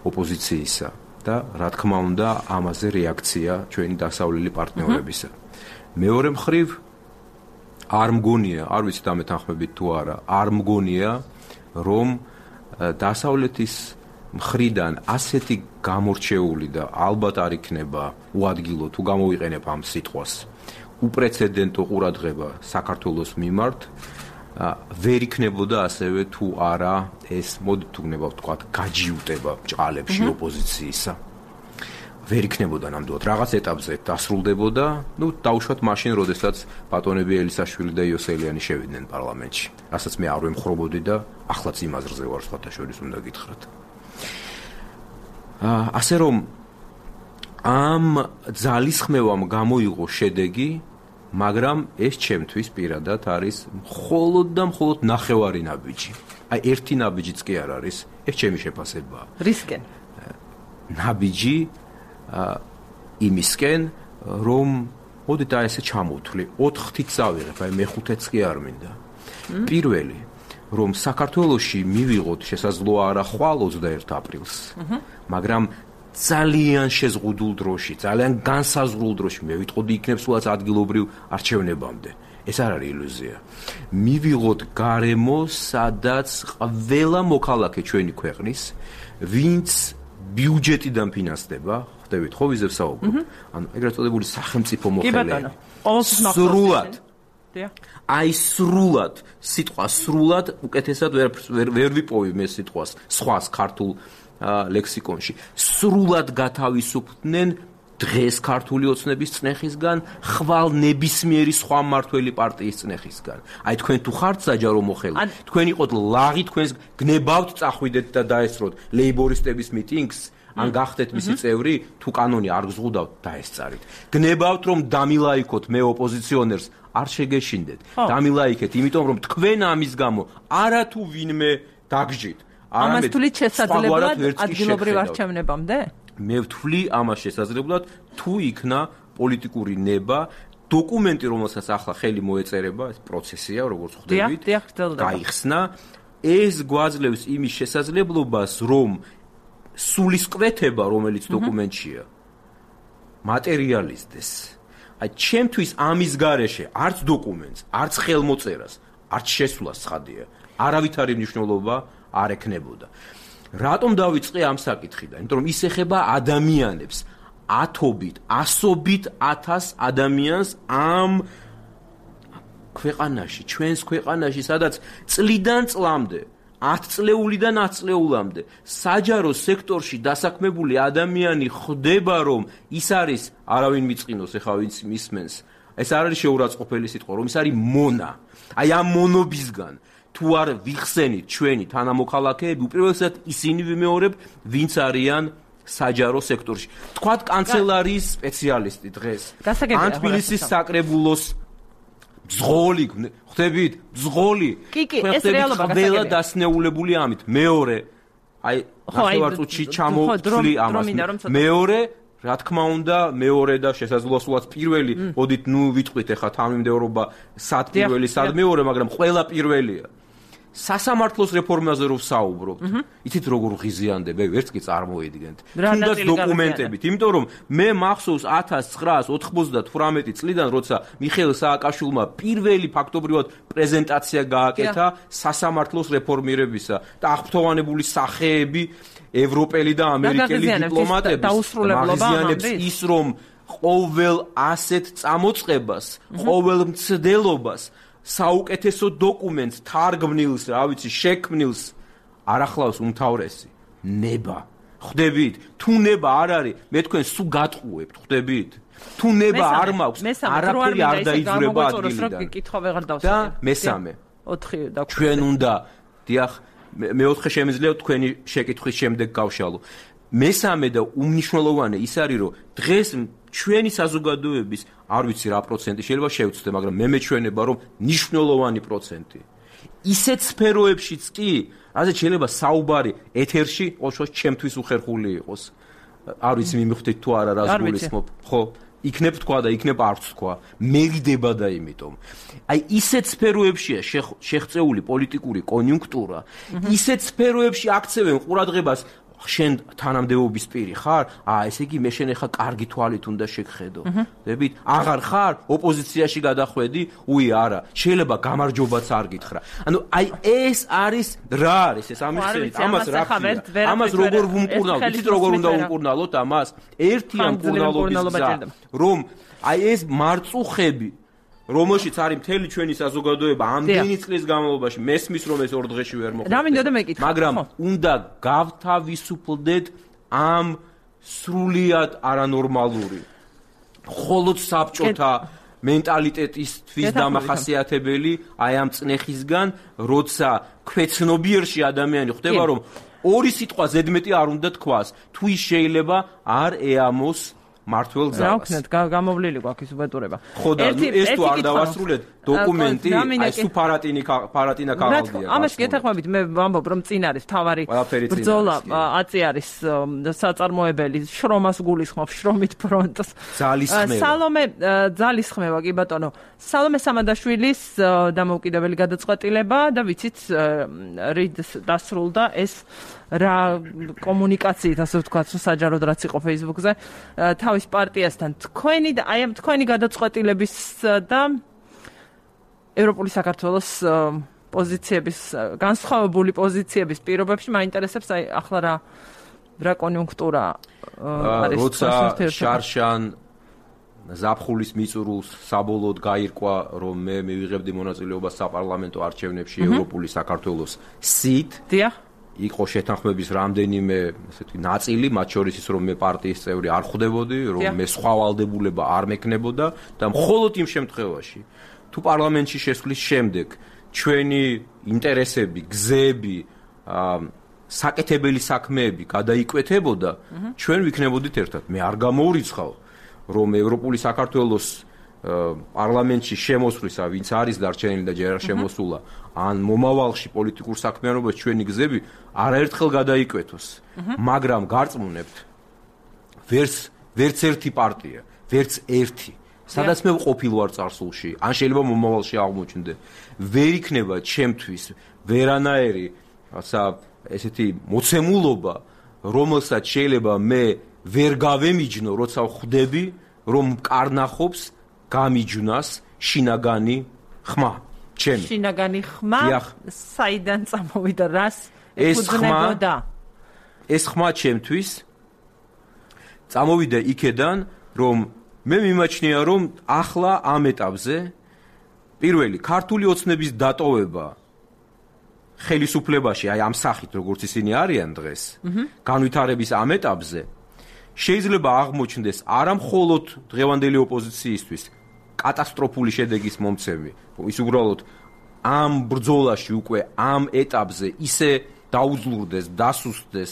ოპოზიციისა და რა თქმა უნდა ამაზე რეაქცია ჩვენი დასავლელი პარტნიორებისა. მეორე მხრივ არ მგონია, არ ვიცი დამეთანხმებით თუ არა, არ მგონია, რომ დასავლეთის მხრიდან ასეთი გამორჩეული და ალბათ არ იქნება უადგილო თუ გამოვიყენებ ამ სიტყვას. უპრეცედენტო ყურადღება საქართველოს მიმართ ვერ იქნებოდა ასევე თუ არა ეს მოდით თუ გნება ვთქვათ გაჯიუტება ბჭყალებში ოპოზიციისა ვერ იქნებოდა ნამდვილად რაღაც ეტაპზე დასრულდებოდა დაუშვათ მაშინ როდესაც ბატონები ელისაშვილი და იოსელიანი შევიდნენ პარლამენტში რასაც მე არ ვემხრობოდი და ახლაც იმ აზრზე ვარ სხვათა შორის უნდა გითხრათ ასე რომ ამ ძალისხმევამ გამოიღო შედეგი, მაგრამ ეს ჩემთვის პირადად არის მხოლოდ და მხოლოდ ნახევარი ნაბიჯი. აი ერთი ნაბიჯიც კი არ არის, ეს ჩემი შეფასებაა. რისკენ? ნაბიჯი იმისკენ, რომ მოდით აი ესე ჩამოვთვლი, 4-ით წავიღებ, აი მეხუთეც კი არ მინდა. პირველი, რომ საქართველოში მივიღოთ შესაძლოა არა ხვალ 21 აპრილს, მაგრამ ძალიან შეზღუდულ დროში, ძალიან განსაზღვრულ დროში, მე ვიტყოდი იქნებ სულაც ადგილობრივ არჩევნებამდე. ეს არ არის ილუზია. მივიღოთ გარემო, სადაც ყველა მოქალაქე ჩვენი ქვეყნის, ვინც ბიუჯეტიდან ფინანსდება, ხვდებით, ხო ვიზე ვსაუბრობ? ანუ ეგრეთ წოდებული სახელმწიფო მოხელეები. სრულად. აი სრულად, სიტყვა სრულად, უკეთესად ვერ ვიპოვი მე სიტყვას, სხვას ქართულ ლექსიკონში სრულად გათავისუფლდნენ დღეს ქართული ოცნების წნეხისგან, ხვალ ნებისმიერი სხვა მმართველი პარტიის წნეხისგან. აი თქვენ თუ ხართ საჯარო მოხელე, თქვენ იყოთ ლაღი, თქვენს გნებავთ წახვიდეთ და დაესწროთ ლეიბორისტების მიტინგს, ან გახდეთ მისი წევრი, თუ კანონი არ გზღუდავთ, დაესწარით. გნებავთ რომ დამილაიქოთ მე ოპოზიციონერს, არ შეგეშინდეთ. დამილაიქეთ, იმიტომ რომ თქვენ ამის გამო არათუ ვინმე დაგჯით. ამას თვლით შესაძლებლად ადგილობრივ არჩევნებამდე? მე ვთვლი ამას შესაძლებლად, თუ იქნა პოლიტიკური ნება დოკუმენტი, რომელსაც ახლა ხელი მოეწერება, ეს პროცესია, როგორც ხვდებით, გაიხსნა, ეს გვაძლევს იმის შესაძლებლობას, რომ სულისკვეთება, რომელიც დოკუმენტშია, მატერიალიზდეს. აი, ჩემთვის ამის გარეშე არც დოკუმენტს, არც ხელმოწერას, არც შესვლას ცხადია, არავითარი მნიშვნელობა არ ექნებოდა. რატომ დავიწყე ამ საკითხიდან? იმიტომ რომ ის ეხება ადამიანებს, ათობით, ასობით ათას ადამიანს ამ ქვეყანაში, ჩვენს ქვეყანაში, სადაც წლიდან წლამდე, 10 წლეულიდან 10 წლეულამდე საჯარო სექტორში დასაქმებული ადამიანი ხდება, რომ ის არის არავინ მიწყინოს, ეხლა ვინც მისმენს. ეს არ არის შეურაცხყოფელი სიტყვა, რომ ის არის მონა. აი ამ მონობისგან თუ არ ვიხსენით ჩვენი თანამოქალაქეები, უპირველესად ისინი ვიმეორებ, ვინც არიან საჯარო სექტორში. თქვათ კანცელარიის სპეციალისტი დღეს. ან თბილისის საკრებულოს ბზღოლი, ხვდებით? ბზღოლი. ეს რეალობა ყველა დასნეულებული ამით. მეორე, აი, ნახევარწუთში ჩამოვთვლი ამას. მეორე, რა თქმა უნდა, მეორე და შესაძლოა სულაც პირველი, მოდით, ნუ ვიტყვით ახლა თანმიმდევრობა სად პირველი, სად მეორე, მაგრამ ყველა პირველია. სასამართლოს რეფორმაზე რო ვსაუბრობთ, იცით როგორ ღიზიანდება, ვერც კი წარმოედგენთ. თუნდაც დოკუმენტებით, იმიტომ რომ მე მახსოვს 1998 წლიდან, როცა მიხეილ სააკაშვილმა პირველი ფაქტობრივად პრეზენტაცია გააკეთა სასამართლოს რეფორმირებისა და აღფრთოვანებული სახეები ევროპელი და ამერიკელი დიპლომატების მაგზიანებს ის, რომ ყოველ ასეთ წამოწყებას, ყოველ მცდელობას საუკეთესო დოკუმენტს, თარგმნილს, რა ვიცი, შექმნილს არ ახლავს უმთავრესი ნება. ხვდებით? თუ ნება არ არის, მე თქვენ სულ გატყუებთ, ხვდებით? თუ ნება არ მაქვს, არაფერი არ დაიძვრება ადგილიდან. და მესამე, 4 და ჩვენ უნდა, დიახ, მეოთხე შემიძლია თქვენი შეკითხვის შემდეგ გავშალო. მესამე და უმნიშვნელოვანე ის არის, რომ დღეს ჩვენი საზოგადოების არ ვიცი რა პროცენტი შეიძლება შევცდე, მაგრამ მე მეჩვენება, რომ მნიშვნელოვანი პროცენტი. ისეთ სფეროებშიც კი, რაზეც შეიძლება საუბარი ეთერში, ოშოს ჩემთვის უხერხული იყოს. არ ვიცი მიმხვდით თუ არა რას გულისხმობ, ხო? იქნებ თქვა და იქნებ არც თქვა. მეგდება და იმიტომ. აი ისეთ სფეროებშია შეღწეული პოლიტიკური კონიუნქტურა, ისეთ სფეროებში აქცევენ ყურადღებას შენ თანამდებობის პირი ხარ? ესე იგი მე შენ ახლა კარგი თვალით უნდა შეგხედო. ხვდებით? აღარ ხარ? ოპოზიციაში გადახვედი? უი, არა. შეიძლება გამარჯობაც არ გითხრა. ანუ აი ეს არის რა არის ეს ამიხსენით? ამას რა ქვია? ამას როგორ ვუმკურნალოთ? იცით როგორ უნდა ვუმკურნალოთ ამას? ერთია მკურნალობის გზა, რომ აი ეს მარწუხები რომელშიც არის მთელი ჩვენი საზოგადოება ამდენი წლის განმავლობაში მესმის რომ ეს ორ დღეში ვერ მოხდა. მაგრამ უნდა გავთავისუფლდეთ ამ სრულიად არანორმალური მხოლოდ საბჭოთა მენტალიტეტისთვის დამახასიათებელი აი ამ წნეხისგან, როცა ქვეცნობიერში ადამიანი ხდება, რომ ორი სიტყვა ზედმეტი არ უნდა თქვას, თუ ის შეიძლება არ ეამოს მართლ ზავს. რა ვქნათ, გამოვლილი გვაქვს უბედურება. ხო და ეს თუ არ დავასრულეთ დოკუმენტი, აი სუ ფარატინა ქაღალდია. ამას გეთანხმებით, მე ვამბობ, რომ წინ არის თავარი ბრძოლა, აწი არის საწარმოებელი, შრომას გულისხმობს, შრომით ფრონტს. სალომე ძალისხმევა, კი ბატონო. სალომე სამადაშვილის დამოუკიდებელი გადაწყვეტილება და ვიცით რით დასრულდა ეს რა კომუნიკაციით, ასე ვთქვათ, საჯაროდ რაც იყო Facebook-ზე, თავის პარტიასთან თქვენი და აი ამ თქვენი გადაწყვეტილების და ევროპული საქართველოს პოზიციების, განსხვავებული პოზიციების პირობებში მაინტერესებს აი ახლა რა კონიუნქტურა არის. როცა შარშან ზაფხულის მიწურულს საბოლოოდ გაირკვა, რომ მე მივიღებდი მონაწილეობას საპარლამენტო არჩევნებში ევროპული საქართველოს სით. დიახ. იყო შეთანხმების რამდენიმე ესეთი ნაწილი, მათ შორის ის რომ მე პარტიის წევრი არ ხვდებოდი, რომ მე სხვა ვალდებულება არ მექნებოდა და მხოლოდ იმ შემთხვევაში, თუ პარლამენტში შესვლის შემდეგ ჩვენი ინტერესები, გზები, საკეთებელი საქმეები გადაიკვეთებოდა, ჩვენ ვიქნებოდით ერთად. მე არ გამოურიცხავ, რომ ევროპული საქართველოს პარლამენტში შემოსვლისა, ვინც არის დარჩენილი და ჯერ არ შემოსულა, ან მომავალში პოლიტიკურ საქმიანობაში ჩვენი გზები არაერთხელ გადაიკვეთოს. მაგრამ გარწმუნებთ, ვერც ერთი პარტია, ვერც ერთი სადაც მე ვყოფილ ვარ წარსულში, ან შეიძლება მომავალში აღმოჩნდე, ვერ იქნება ჩემთვის ვერანაირი, რაცა ესეთი მოცემულობა, რომელსაც შეიძლება მე ვერ გავემიჯნო, როცა ვხვდები, რომ კარნახობს გამიჯვნას შინაგანი ხმა. ჩემი. შინაგანი ხმა საიდან წამოვიდა, რას ეფუძნებოდა? ეს ხმა ჩემთვის წამოვიდა იქედან, რომ მე მიმაჩნია, რომ ახლა ამ ეტაპზე პირველი ქართული ოცნების დატოვება ხელისუფლებაში, აი ამ სახით, როგორც ისინი არიან დღეს, განვითარების ამ ეტაპზე შეიძლება აღმოჩნდეს არა მხოლოდ დღევანდელი ოპოზიციისთვის კატასტროფული შედეგის მომცემი, ის უბრალოდ ამ ბრძოლაში უკვე ამ ეტაპზე ისე დაუძლურდეს, დასუსტდეს,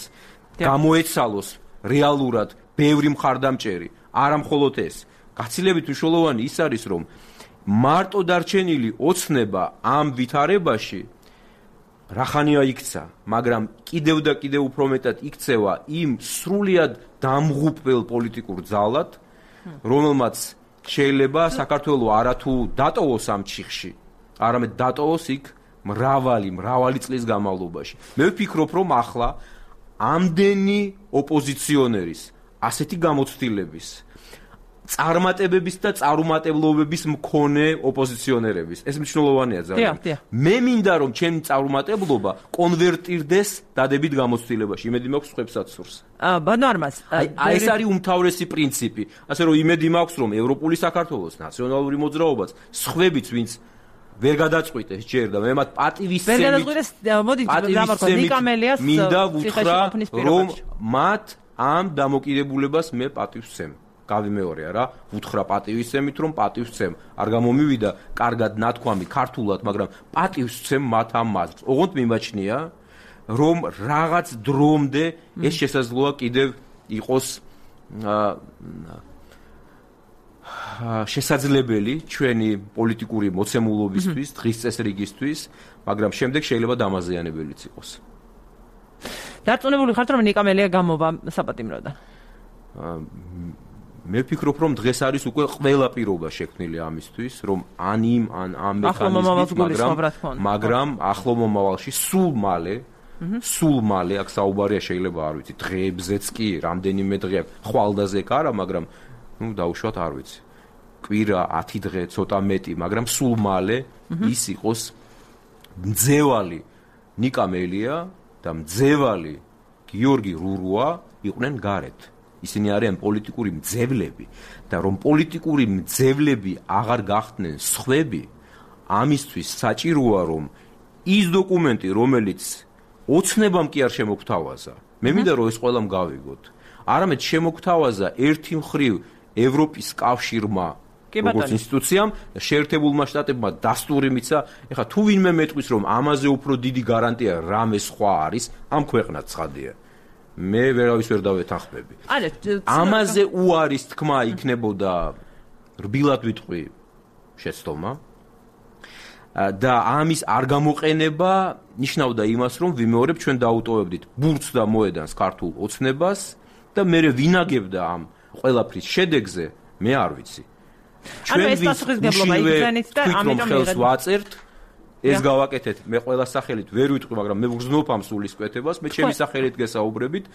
გამოეცალოს რეალურად ბევრი მხარდამჭერი, არა მხოლოდ ეს. გაცილებით მნიშვნელოვანი ის არის, რომ მარტო დარჩენილი ოცნება ამ ვითარებაში რახანია იქცა, მაგრამ კიდევ და კიდევ უფრო მეტად იქცევა იმ სრულიად დამღუპველ პოლიტიკურ ძალად, რომელმაც შეიძლება საქართველოს არათუ დატოვოს ამ ჩიხში, არამედ დატოვოს იქ მრავალი წლის განმავლობაში. მე ვფიქრობ, რომ ახლა ამდენი ოპოზიციონერის ასეთი გამოცდილების, წარმატებების და წარუმატებლობების მქონე ოპოზიციონერების, ეს მნიშვნელოვანია ძალიან. მე მინდა, რომ ჩემი წარუმატებლობა კონვერტირდეს დადებით გამოცდილებაში. იმედი მაქვს სხვებსაც სურს. ბანო არმაზ, ეს არის უმთავრესი პრინციპი. ასე რომ იმედი მაქვს, რომ ევროპული საქართველოს ნაციონალური მოძრაობაც სხვებიც, ვინც ვერ გადაწყვიტეს ჯერ და მე მათ პატივისცემით მინდა ვუთხრა, რომ მათ ამ დამოკიდებულებას მე პატივისცემ. გავიმეორე რა, ვუთხრა პატივისცემით, რომ პატივისცემ. არ გამომივიდა კარგად ნათქვამი ქართულად, მაგრამ პატივისცემ მათ ამ მაზრს. ოღონდ მიმაჩნია, რომ რაღაც დრომდე ეს შესაძლოა კიდევ იყოს შესაძლებელი ჩვენი პოლიტიკური მოცემულობისთვის, დღის წესრიგისთვის, მაგრამ შემდეგ შეიძლება დამაზიანებელიც იყოს. დარწმუნებული ხართ, რომ ნიკამელია გამოვა საპატიმროდან? მე ვფიქრობ, რომ დღეს არის უკვე ყველა პირობა შექმნილი ამისთვის, რომ ან ამ მექანიზმით, მაგრამ ახლო მომავალში სულ მალე აქ საუბარია შეიძლება არ ვიცი, დღეებზეც კი, რამდენიმე დღე ხვალდაზე კი არა, მაგრამ დაუშვათ არ ვიცი. კვირა 10 დღე ცოტა მეტი, მაგრამ სულ მალე ის იყოს მძევალი ნიკამელია და მძევალი გიორგი რურუა იყვნენ გარეთ. ისინი არიან პოლიტიკური მძევლები და რომ პოლიტიკური მძევლები აღარ გახდნენ სხვები, ამისთვის საჭიროა, რომ ის დოკუმენტი, რომელიც ოცნებამ კი არ შემოგთავაზა, მე მინდა რომ ეს ყველამ გავიგოთ, არამედ შემოგთავაზა ერთი მხრივ ევროპის კავშირმა, როგორც ინსტიტუციამ, შეერთებულმა შტატებმა დასტური მიცა, ეხლა თუ ვინმე მეტყვის, რომ ამაზე უფრო დიდი გარანტია რამე სხვა არის, ამ ქვეყნად ცხადია. მე ვერავის ვერ დავეთანხმები. ამაზე უარის თქმა იქნებოდა რბილად ვიტყვი შეცდომა და ამის არ გამოყენება ნიშნავდა იმას, რომ ვიმეორებ ჩვენ დაუტოვებდით ბურთს და მოედანს ქართულ ოცნებას და მე ვინაგებდა ამ ყველაფრის შედეგზე, მე არ ვიცი. ჩვენ ეს პასუხისგებლობა იგზენით და ამიტომ ხელს ვაწერთ. ეს გავაკეთეთ, მე ყველა სახელით ვერ ვიტყვი, მაგრამ მე ვგრძნობ ამ სულისკვეთებას, მე ჩემი სახელით გესაუბრებით.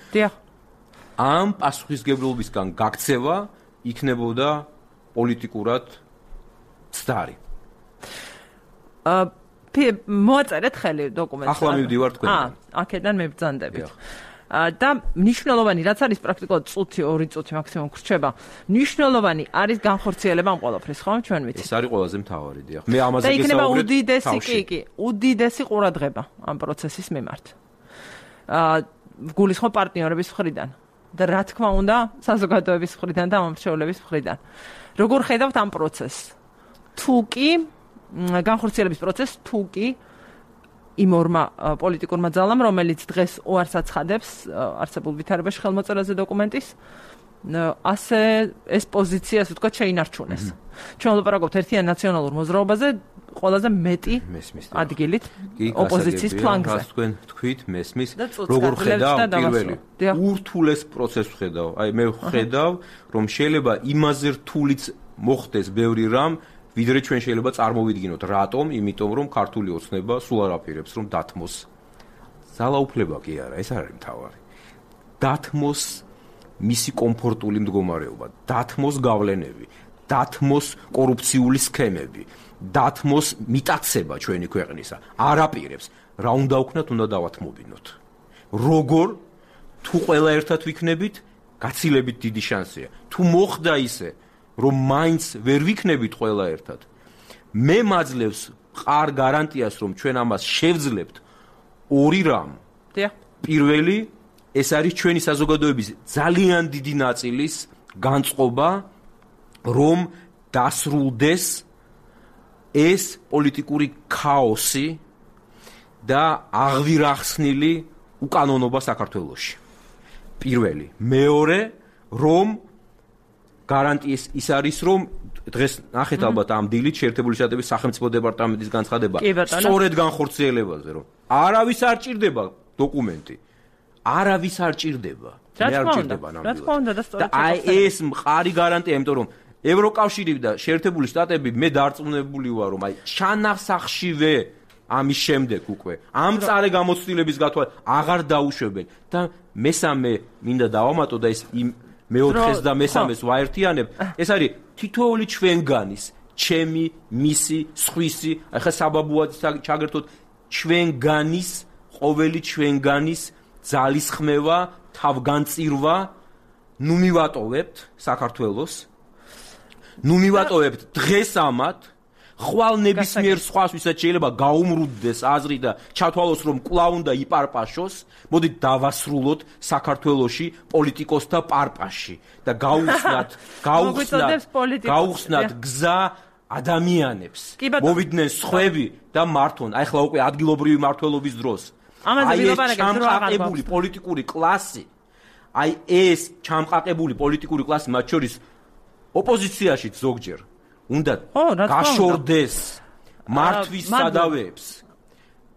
ამ პასუხისგებლობისგან გაქცევა იქნებოდა პოლიტიკურად ცდარი. მოაწერეთ ხელი დოკუმენტს. ახლა მივდივარ თქვენ. აქედან მებრძანდებით. და მნიშვნელოვანი, რაც არის პრაქტიკულად წუთი, 2 წუთი მაქსიმუმ გრჩება, მნიშვნელოვანი არის განხორციელება ამ ყველაფრის, ხო, ჩვენ ვიცით. ეს არის ყველაზე მთავარი, დიახ. მე ამაზე გესაუბრებ. და იქნება უდიდესი ყურადღება ამ პროცესის მიმართ. გულისხმობ პარტნიორების მხრიდან და რა თქმა უნდა, საზოგადოების მხრიდან და მომრჩევლების მხრიდან. როგორ ხედავთ ამ პროცესს? თუ კი განხორციელების პროცესს, თუ კი იმ ორმა პოლიტიკურმა ძალამ, რომელიც დღეს უარს აცხადებს არსებულ ვითარებაში ხელმოწერაზე დოკუმენტის, ასე ეს პოზიცია, ასე ვთქვათ, შეინარჩუნეს. ჩვენ ვლაპარაკობთ ერთიან ნაციონალურ მოძრაობაზე, ყველაზე მეტი ადგილით ოპოზიციის ფლანგზე. თქვენ თქვით, მესმის, როგორ ხედავ პირველი ურთულეს პროცესს ხედავ. აი მე ვხედავ, რომ შეიძლება იმაზე რთულიც მოხდეს ბევრი რამ, ვიდრე ჩვენ შეიძლება წარმოვიდგინოთ, რატომ? იმიტომ რომ ქართული ოცნება სულ არ აპირებს რომ დათმოს. ძალაუფლება კი არა, ეს არ არის მთავარი. დათმოს მისი კომფორტული მდგომარეობა, დათმოს გავლენები, დათმოს კორუფციული სქემები, დათმოს მიტაცება ჩვენი ქვეყნისა. არ აპირებს. რა უნდა ვქნათ, უნდა დავათმობინოთ. როგორ? თუ ყველა ერთად ვიქნებით, გაცილებით დიდი შანსია. თუ მოხდა ისე, რომ მაინც ვერ ვიქნებით ყველა ერთად, მე მაძლევს მყარ გარანტიას, რომ ჩვენ ამას შევძლებთ ორი რამ. პირველი, ეს არის ჩვენი საზოგადოების ძალიან დიდი ნაწილის განწყობა, რომ დასრულდეს ეს პოლიტიკური ქაოსი და აღვირახსნილი უკანონობა საქართველოში. პირველი. მეორე, რომ გარანტიის ის არის, რომ დღეს ნახეთ ალბათ ამ დილით შეერთებული შტატების სახელმწიფო დეპარტამენტის განცხადება სწორედ განხორციელებაზე, რომ არავის არ ჭირდება დოკუმენტი. არავის არ ჭირდება. მე არ ჭირდება ნამდვილად. და აი ეს მყარი გარანტია, იმიტომ რომ ევროკავშირი და შეერთებული შტატები მე დარწმუნებული ვარ, რომ აი ჩანახსახშივე ამის შემდეგ უკვე ამ წარე გამოცდილების გათვალ აღარ დაუშვებენ და მესამე მინდა დავამატო და ეს იმ მეოთხეს და მესამეს ვაერთიანებ. ეს არის თითოეული ჩვენგანის, ჩემი, მისი, სხვისი, ახლა საბაბუად ჩაგერთოთ ჩვენგანის, ყოველი ჩვენგანის ძალისხმევა, თავგანწირვა, ნუ მივატოვებთ საქართველოს, ნუ მივატოვებთ დღეს ამათ, ხვალ ნებისმიერ სხვას, ვისაც შეიძლება გაუმრუდდეს აზრი და ჩათვალოს, რომ კვლავ უნდა იპარპაშოს, მოდით დავასრულოთ საქართველოში პოლიტიკოსთა პარპაში და გაუხსნათ გზა ადამიანებს, მოვიდნენ სხვები და მართონ, ახლა უკვე ადგილობრივი მმართველობის დროს. აი ეს ჩამყაყებული პოლიტიკური კლასი, აი ეს ჩამყაყებული პოლიტიკური კლასი, მათ შორის ოპოზიციაში ზოგჯერ უნდა გაშორდეს მართვის სადავეებს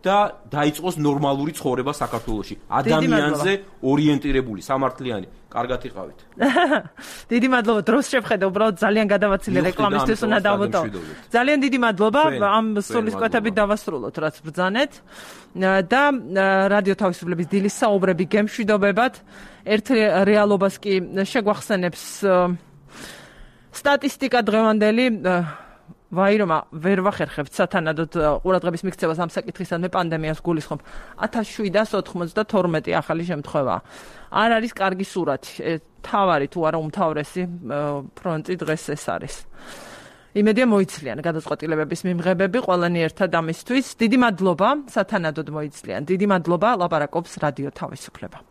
და დაიწყოს ნორმალური ცხოვრება საქართველოში. ადამიანზე ორიენტირებული, სამართლიანი. კარგად იყავით. დიდი მადლობა. დროს შევხედე, უბრალოდ ძალიან გადავაცილე რეკლამისთვის უნდა დავმოტოვო. ძალიან დიდი მადლობა. ამ სულისკვეთებით დავასრულოთ, რაც ბრძანეთ. და რადიო თავისუფლების დილის საუბრები გემშვიდობებად. ერთ რეალობას კი შეგვახსენებს სტატისტიკა დღევანდელი. ვაირომა ვერ ვახერხებთ სათანადოდ ყურადღების მიქცევას ამ საკითხისადმე პანდემიას გულისხმობ. 1792 ახალი შემთხვევა. არ არის კარგი სურათი. თავარი თუ არა უმთავრესი ფრონტი დღეს ეს არის. იმედია მოიცლიან გადაწყვეტილებების მიმღებები ყველანი ერთად ამისთვის. დიდი მადლობა სათანადოდ მოიცლიან. დიდი მადლობა ლაპარაკობს რადიო თავისუფლება.